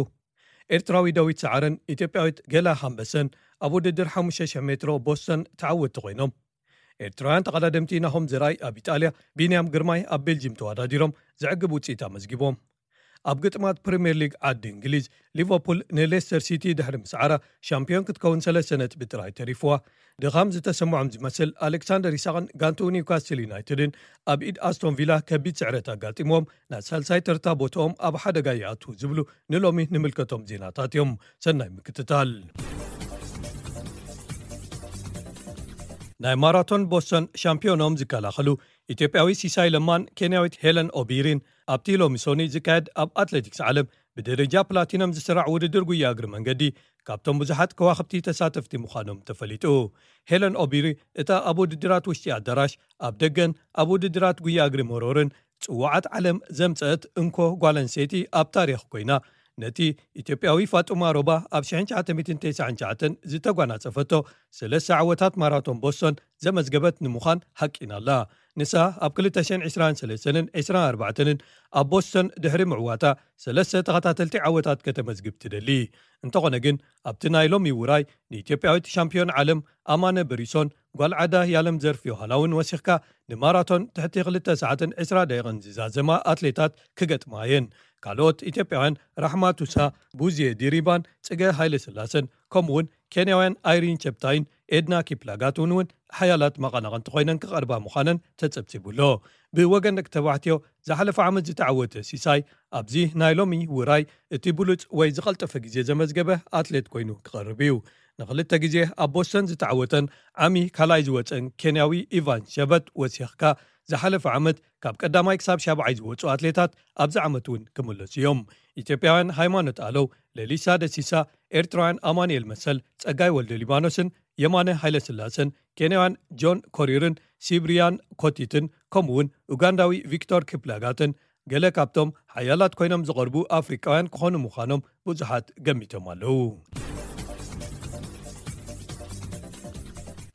ኤርትራዊ ዳዊት ሰዓረን ኢትዮጵያዊት ገላ ሃምበሰን ኣብ ውድድር ሓሙሽተ ሽሕ ሜትሮ ቦስተን ተዓወትቲ ኮይኖም። ኤርትራውያን ተቐዳደምቲ ናሆም ዘርኣይ ኣብ ኢጣልያ፣ ቢንያም ግርማይ ኣብ ቤልጅም ተወዳዲሮም ዘዕግብ ውፅኢት ኣመዝጊቦም። ኣብ ግጥማት ፕሪምየር ሊግ ዓዲ እንግሊዝ፣ ሊቨርፑል ንሌስተር ሲቲ ድሕሪ ምስዓራ ሻምፒዮን ክትከውን ሰለስተ ነጥቢ ጥራይ ተሪፍዋ። ድኻም ዝተሰምዖም ዝመስል ኣሌክሳንደር ኢሳቕን ጋንትኡ ኒውካስትል ዩናይትድን ኣብ ኢድ ኣስቶን ቪላ ከቢድ ስዕረት ኣጋጢምዎም ናብ ሳልሳይ ተርታ ቦትኦም ኣብ ሓደጋ ይኣትዉ ዝብሉ ንሎሚ ንምልከቶም ዜናታት እዮም። ሰናይ ምክትታል። ናይ ማራቶን ቦስተን ሻምፒዮኖም ዝከላኸሉ ኢትዮጵያዊ ሲሳይ ለማን ኬንያዊት ሄለን ኦቢሪን ኣብቲ ሎሚ ሶኒ ዝካየድ ኣብ ኣትሌቲክስ ዓለም ብደረጃ ፕላቲነም ዝስራዕ ውድድር ጉያ እግሪ መንገዲ ካብቶም ብዙሓት ከዋኽብቲ ተሳተፍቲ ምዃኖም ተፈሊጡ። ሄለን ኦቢሪ እታ ኣብ ውድድራት ውሽጢ ኣዳራሽ ኣብ ደገን ኣብ ውድድራት ጉያ እግሪ መሮርን ጽዋዓት ዓለም ዘምጸአት እንኮ ጓል ኣንስተይቲ ኣብ ታሪኽ ኮይና ነቲ ኢትዮጵያዊ ፋጡማ ሮባ ኣብ ሽሕን ትሽዓተ ሚእትን ተስዓን ትሽዓተን ዝተጓናጸፈቶ ሰለስተ ዓወታት ማራቶን ቦስቶን ዘመዝገበት ንምዃን ሃቂና ኣላ። ንሳ ኣብ ክልተ ሽሕን ዕስራን ሰለስተን ዕስራን ኣርባዕተን ኣብ ቦስቶን ድሕሪ ምዕዋታ ሰለስተ ተኸታተልቲ ዓወታት ከተመዝግብ ትደሊ። እንተኾነ ግን ኣብቲ ናይ ሎሚ ውራይ ንኢትዮጵያዊት ሻምፒዮን ዓለም ኣማነ በሪሶን ጓል ዓዳ ያለም ዘርፍ ዮሃና እውን ወሲኽካ ንማራቶን ትሕቲ ክልተ ሰዓትን ዕስራ ደቂቕን ዝዛዘማ ኣትሌታት ክገጥማ እየን። ካልኦት ኢትዮጵያውያን ራሕማ ቱሳ፣ ቡዝየ ዲሪባን ጽገ ሃይለ ስላሰን ከምኡውን ኬንያውያን ኣይሪን ቸፕታይን ኤድና ኪፕላጋት እውን እውን ሓያላት መቐናቕንቲ ኮይነን ክቐርባ ምዃነን ተጸብጺቡ ኣሎ። ብወገን ደቂ ተባዕትዮ ዝሓለፈ ዓመት ዝተዓወተ ሲሳይ ኣብዚ ናይ ሎሚ ውራይ እቲ ብሉጽ ወይ ዝቐልጠፈ ግዜ ዘመዝገበ ኣትሌት ኮይኑ ክቐርብ እዩ። ንክልተ ግዜ ኣብ ቦስተን ዝተዓወተን ዓሚ ካልኣይ ዝወፀን ኬንያዊ ኢቫን ሸበት ወሲኽካ ዝሓለፈ ዓመት ካብ ቀዳማይ ክሳብ ሻብዓይ ዝወፁ ኣትሌታት ኣብዚ ዓመት እውን ክምለሱ እዮም። ኢትዮጵያውያን ሃይማኖት ኣለው፣ ለሊሳ ደሲሳ፣ ኤርትራውያን ኣማኑኤል መሰል፣ ጸጋይ ወልደ ሊባኖስን የማነ ሃይለስላሰን፣ ኬንያውያን ጆን ኮሪርን ሲብሪያን ኮቲትን ከምኡውን ኡጋንዳዊ ቪክቶር ኪፕላጋትን ገለ ካብቶም ሓያላት ኮይኖም ዝቐርቡ ኣፍሪቃውያን ክኾኑ ምዃኖም ብዙሓት ገሚቶም ኣለዉ።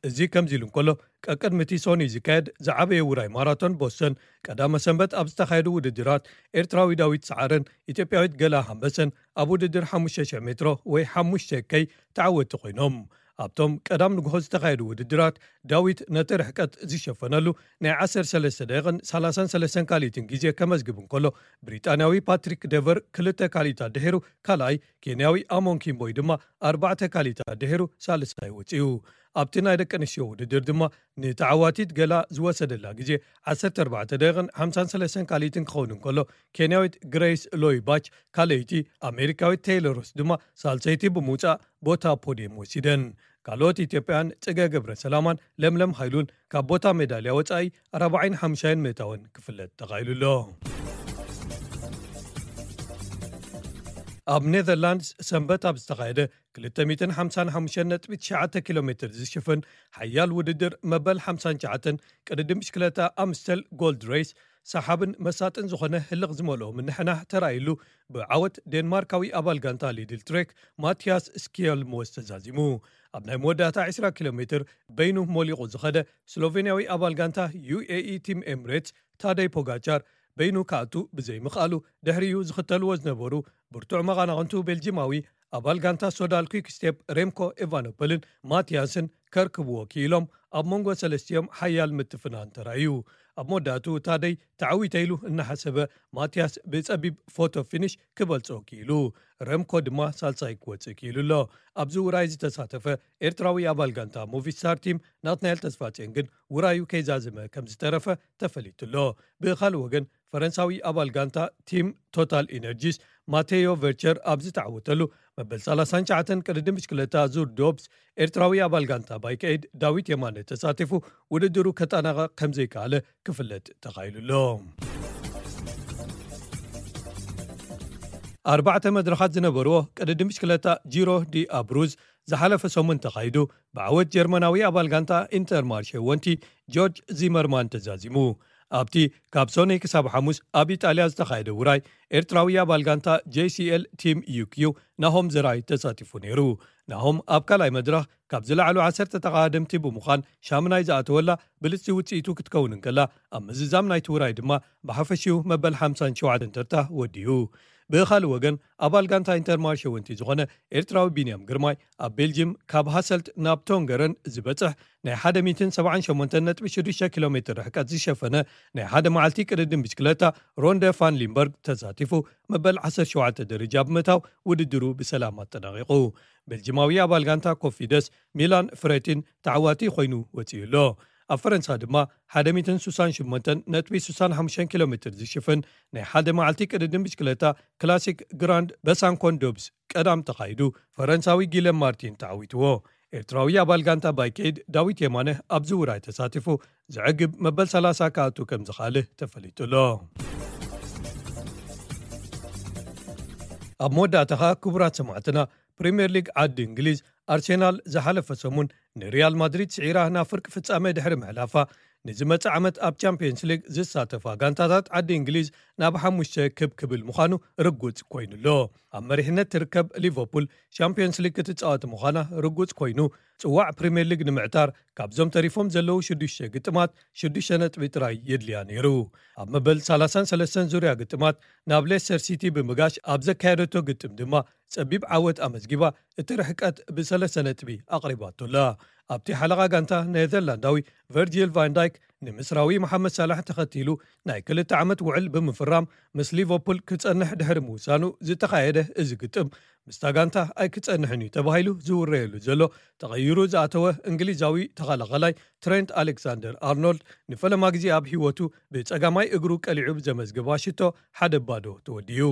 እዚ ከምዚ ኢሉ እንከሎ፣ ቀቅድሚ እቲ ሶኒ ዝካየድ ዝዓበየ ውራይ ማራቶን ቦስተን ቀዳመ ሰንበት ኣብ ዝተኻየዱ ውድድራት ኤርትራዊ ዳዊት ሰዓረን ኢትዮጵያዊት ገላ ሃምበሰን ኣብ ውድድር ሓሙሽተ ሽሕ ሜትሮ ወይ ሓሙሽተ ከይ ተዓወቲ ኮይኖም። ኣብቶም ቀዳም ንግሆ ዝተኻየዱ ውድድራት ዳዊት ነቲ ርሕቀት ዝሸፈነሉ ናይ ዓሰርተ ሰለስተ ደቂቕን ሰላሳን ሰለስተን ካልኢትን ግዜ ከመዝግብ እንከሎ፣ ብሪጣንያዊ ፓትሪክ ደቨር ክልተ ካልኢታት ድሒሩ ካልኣይ፣ ኬንያዊ ኣሞን ኪምቦይ ድማ ኣርባዕተ ካልኢታት ድሒሩ ሳልሳይ ወጺኡ። ኣብቲ ናይ ደቂ ኣንስትዮ ውድድር ድማ ንተዓዋቲት ገላ ዝወሰደላ ግዜ ዓሰርተ ኣርባዕተ ደቂቕን ሓምሳን ሰለስተን ካልኢትን ክኸውን እንከሎ፣ ኬንያዊት ግሬስ ሎይ ባች ካልኣይቲ፣ ኣሜሪካዊት ቴይለር ሮስ ድማ ሳልሰይቲ ብምውጻእ ቦታ ፖድየም ወሲደን። ካልኦት ኢትዮጵያን ጽገ ገብረ ሰላማን ለምለም ሃይሉን ካብ ቦታ ሜዳልያ ወጻኢ ራብዓይን ሓምሻይን ምእታወን ክፍለጥ ተኻኢሉ ኣሎ። ኣብ ኔዘርላንድስ ሰንበት ኣብ ዝተኻየደ ክልተ ሚእትን ሓምሳን ሓሙሽተን ነጥቢ ትሽዓተ ኪሎ ሜትር ዝሽፍን ሓያል ውድድር መበል ሓምሳን ትሽዓተን ቅድድም ብሽክለታ ኣምስተል ጎልድ ሬስ ሰሓብን መሳጥን ዝኾነ ህልኽ ዝመልኦ ምንሕናሕ ተራእይሉ ብዓወት ዴንማርካዊ ኣባል ጋንታ ሊድል ትሬክ ማቲያስ ስኪየልሞስ ተዛዚሙ። ኣብ ናይ መወዳእታ ዕስራ ኪሎ ሜትር በይኑ ሞሊቑ ዝኸደ ስሎቬንያዊ ኣባል ጋንታ ዩ ኤ ኢ ቲም ኤምሬትስ ታደይ ፖጋቻር በይኑ ክኣቱ ብዘይምኽኣሉ ድሕሪኡ ዝኽተልዎ ዝነበሩ ብርቱዕ መቓናቕንቱ ቤልጂማዊ ኣባል ጋንታ ሶዳል ኲክ ስቴፕ ሬምኮ ኤቫኖፐልን ማቲያስን ከርክብዎ ክኢሎም ኣብ መንጎ ሰለስቲኦም ሓያል ምትፍናን ተራእዩ። ኣብ መወዳእቱ ታደይ ተዓዊተ ኢሉ እናሓሰበ ማቲያስ ብጸቢብ ፎቶ ፊኒሽ ክበልጾ ክኢሉ። ረምኮ ድማ ሳልሳይ ክወጽእ ክኢሉ ኣሎ። ኣብዚ ውራይ ዝተሳተፈ ኤርትራዊ ኣባል ጋንታ ሙቪስታር ቲም ናትናኤል ተስፋጽዮን ግን ውራዩ ከይዛዘመ ከም ዝተረፈ ተፈሊጡ ኣሎ። ብኻልእ ወገን ፈረንሳዊ ኣባል ጋንታ ቲም ቶታል ኢነርጂስ ማቴዮ ቨርቸር ኣብ ዝተዓወተሉ መበል ሰላሳን ትሽዓተን ቅድድም ብሽክለታ ዙር ዶብስ ኤርትራዊ ኣባል ጋንታ ባይክ ኤድ ዳዊት የማነ ተሳቲፉ ውድድሩ ከጠናቐቕ ከም ዘይከኣለ ክፍለጥ ተኻኢሉ ኣሎ። ኣርባዕተ መድረኻት ዝነበርዎ ቅድድም ብሽክለታ ጂሮ ዲ ኣብሩዝ ዝሓለፈ ሰሙን ተኻይዱ ብዓወት ጀርመናዊ ኣባል ጋንታ ኢንተርማርሼ ወንቲ ጆርጅ ዚመርማን ተዛዚሙ። ኣብቲ ካብ ሶኒ ክሳብ ሓሙስ ኣብ ኢጣልያ ዝተኻየደ ውራይ ኤርትራዊ ኣባል ጋንታ ጄ ሲ ኤል ቲም ዩ ኪው ናሆም ዘራይ ተሳቲፉ ነይሩ። ናሆም ኣብ ካልኣይ መድረኽ ካብ ዝለዓሉ ዓሰርተ ተቓደምቲ ብምዃን ሻምናይ ዝኣተወላ ብልጽቲ ውጽኢቱ ክትከውን እንከላ፣ ኣብ ምዝዛም ናይቲ ውራይ ድማ ብሓፈሽኡ መበል ሓምሳን ሸውዓተን ተርታ ወዲኡ። ብኻልእ ወገን ኣባል ጋንታ ኢንተርማርሸ ወንቲ ዝኾነ ኤርትራዊ ቢንያም ግርማይ ኣብ ቤልጅም ካብ ሃሰልት ናብ ቶንገረን ዝበጽሕ ናይ ሓደ ሚእትን ሰብዓን ሸሞንተን ነጥቢ ሽዱሽተ ኪሎ ሜትር ርሕቀት ዝሸፈነ ናይ ሓደ መዓልቲ ቅድድም ብሽክለታ ሮንደ ፋን ሊምበርግ ተሳቲፉ መበል ዓሰርተ ሸውዓተ ደረጃ ብምእታው ውድድሩ ብሰላም ኣጠናቒቑ። ቤልጅማዊ ኣባል ጋንታ ኮፊደስ ሚላን ፍሬቲን ተዓዋቲ ኮይኑ ወጺኡ ኣሎ። ኣብ ፈረንሳ ድማ ሓደ ሚእትን ስሳን ሸሞንተን ነጥቢ ስሳን ሓሙሽተን ኪሎ ሜትር ዝሽፍን ናይ ሓደ መዓልቲ ቅድድም ብሽክለታ ክላሲክ ግራንድ በሳንኮን ዶብስ ቀዳም ተኻይዱ ፈረንሳዊ ጊለም ማርቲን ተዓዊትዎ። ኤርትራዊ ኣባል ጋንታ ባይኬድ ዳዊት የማነ ኣብዚ ውራይ ተሳቲፉ ዘዕግብ መበል ሰላሳ ክኣቱ ከም ዝኻልእ ተፈሊጡ ኣሎ። ኣብ መወዳእታ ኸኣ ክቡራት ሰማዕትና ፕሪምየር ሊግ ዓዲ እንግሊዝ ኣርሴናል ዝሓለፈ ሰሙን ንሪያል ማድሪድ ስዒራ ናብ ፍርቂ ፍጻመ ድሕሪ ምሕላፋ ንዝመጽእ ዓመት ኣብ ቻምፒየንስ ሊግ ዝሳተፋ ጋንታታት ዓዲ እንግሊዝ ናብ ሓሙሽተ ክብ ክብል ምዃኑ ርጉጽ ኮይኑ ኣሎ። ኣብ መሪሕነት ትርከብ ሊቨርፑል ቻምፒየንስ ሊግ ክትጻወት ምዃና ርጉጽ ኮይኑ፣ ጽዋዕ ፕሪምየር ሊግ ንምዕታር ካብዞም ተሪፎም ዘለዉ ሽዱሽተ ግጥማት ሽዱሽተ ነጥቢ ጥራይ የድልያ ነይሩ። ኣብ መበል ሰላሳን ሰለስተን ዙርያ ግጥማት ናብ ሌስተር ሲቲ ብምጋሽ ኣብ ዘካየደቶ ግጥም ድማ ጸቢብ ዓወት ኣመዝጊባ እቲ ርሕቀት ብሰለስተ ነጥቢ ኣቕሪባቶ ኣላ። ኣብቲ ሓለቓ ጋንታ ኔዘርላንዳዊ ቨርጂል ቫን ዳይክ ንምስራዊ መሓመድ ሳላሕ ተኸቲሉ ናይ ክልተ ዓመት ውዕል ብምፍራም ምስ ሊቨርፑል ክጸንሕ ድሕሪ ምውሳኑ ዝተኻየደ እዚ ግጥም ምስታ ጋንታ ኣይክጸንሕን እዩ ተባሂሉ ዝውረየሉ ዘሎ ተቐይሩ ዝኣተወ እንግሊዛዊ ተኸላኸላይ ትሬንት ኣሌክሳንደር ኣርኖልድ ንፈለማ ግዜ ኣብ ህይወቱ ብጸጋማይ እግሩ ቀሊዑ ብዘመዝገባ ሽቶ ሓደ ባዶ ተወዲኡ።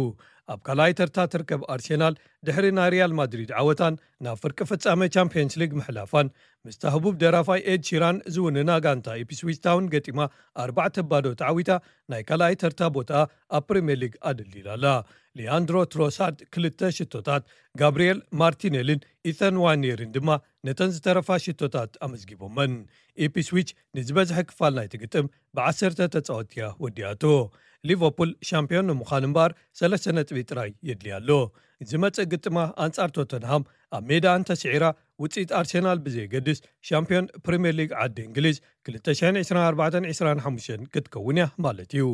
ኣብ ካልኣይ ተርታ ትርከብ ኣርሴናል ድሕሪ ናይ ሪያል ማድሪድ ዓወታን ናብ ፍርቂ ፍጻመ ቻምፒየንስ ሊግ ምሕላፋን ምስታ ህቡብ ደራፋይ ኤድ ሺራን ዝውንና ጋንታ ኢፕስዊች ታውን ገጢማ ኣርባዕተ ባዶ ተዓዊታ ናይ ካልኣይ ተርታ ቦታ ኣብ ፕሪምየር ሊግ ኣደልዲላ ኣላ። ሊያንድሮ ትሮሳርድ ክልተ ሽቶታት፣ ጋብሪኤል ማርቲኔልን ኢተን ዋኔርን ድማ ነተን ዝተረፋ ሽቶታት ኣመዝጊቦመን። ኢፕስዊች ንዝበዝሐ ክፋል ናይቲ ግጥም ብዓሰርተ ተጻወትቲ እያ ወዲኣቶ። ሊቨርፑል ሻምፒዮን ንምዃን እምበኣር ሰለስተ ነጥቢ ጥራይ የድልያ ኣሎ። ዝመጽእ ግጥማ ኣንጻር ቶተንሃም ኣብ ሜዳ እንተስዒራ፣ ውጽኢት ኣርሴናል ብዘየገድስ ሻምፒዮን ፕሪምየር ሊግ ዓዲ እንግሊዝ ክልተ ሽሕን ዕስራን ኣርባዕተን ዕስራን ሓሙሽተን ክትከውን እያ ማለት እዩ።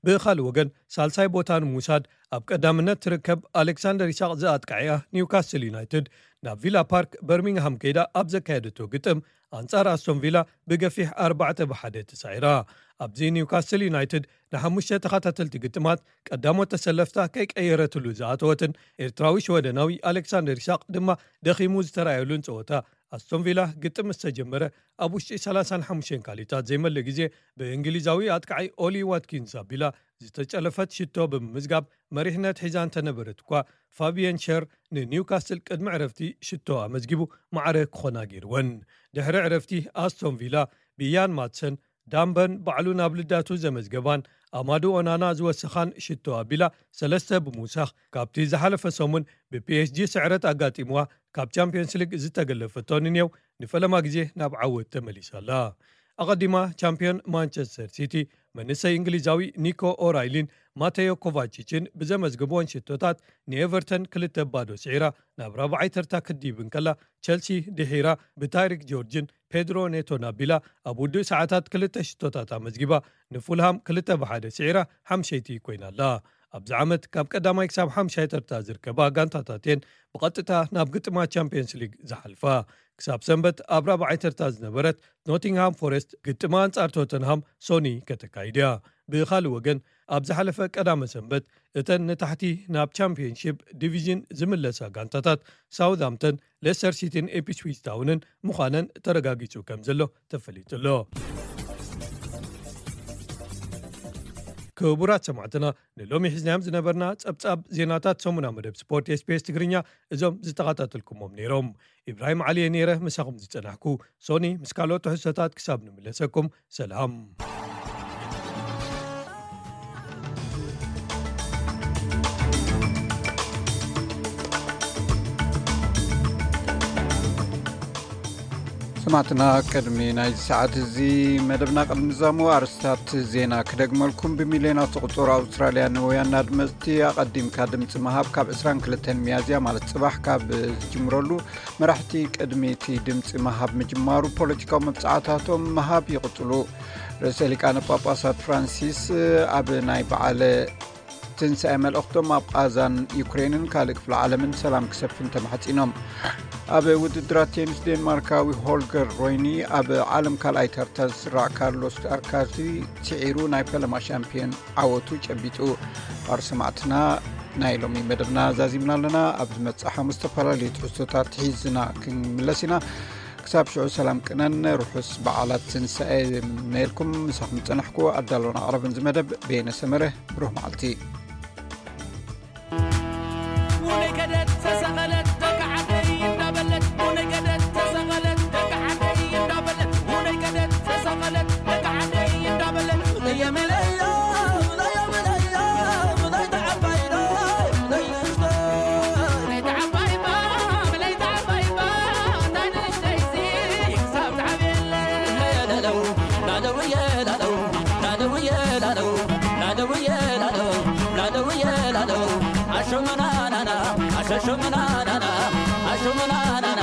ብኻልእ ወገን ሳልሳይ ቦታ ንምውሳድ ኣብ ቀዳምነት ትርከብ ኣሌክሳንደር ኢሳቕ ዝኣጥቃዕያ ኒውካስል ዩናይትድ ናብ ቪላ ፓርክ በርሚንግሃም ከይዳ ኣብ ዘካየደቶ ግጥም ኣንጻር ኣስቶን ቪላ ብገፊሕ ኣርባዕተ ብሓደ ተሳዒራ። ኣብዚ ኒውካስል ዩናይትድ ንሓሙሽተ ተኸታተልቲ ግጥማት ቀዳሞት ተሰለፍታ ከይቀየረትሉ ዝኣተወትን ኤርትራዊ ሽወደናዊ ኣሌክሳንደር ኢሳቕ ድማ ደኺሙ ዝተራእየሉን ጸወታ ኣስቶን ቪላ ግጥም ምስ ተጀመረ ኣብ ውሽጢ ሰላሳን ሓሙሽተን ካልኢታት ዘይመልእ ግዜ ብእንግሊዛዊ ኣጥቃዓይ ኦሊ ዋትኪንስ ኣቢላ ዝተጨለፈት ሽቶ ብምምዝጋብ መሪሕነት ሒዛ እንተነበረት እኳ ፋቢየን ሸር ንኒውካስል ቅድሚ ዕረፍቲ ሽቶ ኣመዝጊቡ ማዕረ ክኾና ገይርወን። ድሕሪ ዕረፍቲ ኣስቶን ቪላ ብያን ማትሰን ዳምበን ባዕሉ ናብ ልዳቱ ዘመዝገባን ኣማዱ ኦናና ዝወሰኻን ሽቶ ኣቢላ ሰለስተ ብምውሳኽ ካብቲ ዝሓለፈ ሰሙን ብፒኤስጂ ስዕረት ኣጋጢምዋ ካብ ቻምፒዮንስ ሊግ ዝተገለፈቶ ንኔው ንፈለማ ግዜ ናብ ዓወት ተመሊሳ ኣላ። ኣቐዲማ ቻምፒዮን ማንቸስተር ሲቲ መንእሰይ እንግሊዛዊ ኒኮ ኦራይሊን ማቴዮ ኮቫቺችን ብዘመዝግብዎን ሽቶታት ንኤቨርተን ክልተ ባዶ ስዒራ ናብ ራብዓይ ተርታ ክትድይብ እንከላ፣ ቸልሲ ድሒራ ብታይሪክ ጆርጅን ፔድሮ ኔቶን ኣቢላ ኣብ ውዱእ ሰዓታት ክልተ ሽቶታት ኣመዝጊባ ንፉልሃም ክልተ ብሓደ ስዒራ ሓምሸይቲ ኮይና ኣላ። ኣብዚ ዓመት ካብ ቀዳማይ ክሳብ ሓምሻይ ተርታ ዝርከባ ጋንታታት እየን ብቐጥታ ናብ ግጥማት ቻምፒየንስ ሊግ ዝሓልፋ። ክሳብ ሰንበት ኣብ ራብዓይ ተርታ ዝነበረት ኖቲንግሃም ፎረስት ግጥማ ኣንጻር ቶተንሃም ሶኒ ከተካይድ እያ። ብኻልእ ወገን ኣብ ዝሓለፈ ቀዳመ ሰንበት እተን ንታሕቲ ናብ ቻምፒየንሺፕ ዲቪዥን ዝምለሳ ጋንታታት ሳውዝሃምተን፣ ሌስተር ሲቲን ኢፕስዊች ታውንን ምዃነን ተረጋጊጹ ከም ዘሎ ተፈሊጡ ኣሎ። ክቡራት ሰማዕትና፣ ንሎሚ ሒዝናዮም ዝነበርና ጸብጻብ ዜናታት ሰሙና መደብ ስፖርት ኤስቢኤስ ትግርኛ እዞም ዝተኸታተልኩሞም ነይሮም። ኢብራሂም ዓሊ እየ ነይረ ምሳኹም ዝጸናሕኩ። ሶኒ ምስ ካልኦት ትሕዝቶታት ክሳብ ንምለሰኩም፣ ሰላም። ሰማዕትና፣ ቅድሚ ናይዚ ሰዓት እዚ መደብና ቅድሚ ምዛሙ ኣርስታት ዜና ክደግመልኩም። ብሚልዮናት ዝቑጸሩ ኣውስትራልያውያን ኣድመጽቲ ኣቐዲምካ ድምጺ ምሃብ ካብ ዕስራን ክልተን ሚያዝያ ማለት ጽባሕ ካብ ዝጅምረሉ መራሕቲ ቅድሚ እቲ ድምጺ ምሃብ ምጅማሩ ፖለቲካዊ መብጽዓታቶም ምሃብ ይቕጽሉ። ርእሰ ሊቃነ ጳጳሳት ፍራንሲስ ኣብ ናይ በዓለ ትንሳኤ መልእኽቶም ኣብ ቓዛን ዩክሬንን ካልእ ክፍለ ዓለምን ሰላም ክሰፍን ተማሕጺኖም። ኣብ ውድድራት ቴኒስ ዴንማርካዊ ሆልገር ሮይኒ ኣብ ዓለም ካልኣይ ተርታ ዝስራዕ ካርሎስ ኣርካዚ ስዒሩ ናይ ፈለማ ሻምፒዮን ዓወቱ ጨቢጡ። ኣርሰማዕትና ናይ ሎሚ መደብና ዛዚምና ኣለና። ኣብ ዝመጽእ ሓሙስ ዝተፈላለዩ ትሕዝቶታት ሒዝና ክንምለስ ኢና። ክሳብ ሽዑ ሰላም ቅነን ርሑስ በዓላት ትንሳኤ ይምነየልኩም። ምሳኹም ዝጸናሕኩ ኣዳሎን ኣቕራብን ዝመደብ በየነ ሰመረ። ብሩህ መዓልቲ። ላለው ላለው የላለው ላለው የላለው ላለው የላለው ኣሾመናናና ኣሸሾመናናና ኣሾመናናና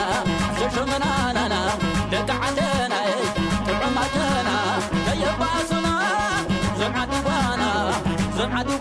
ኣሸሾመናናና ደቂ ዓደናይ ጥዑም ዓደና ከየባሱና ዞም ዓዲ ጓና ዞም ዓዲ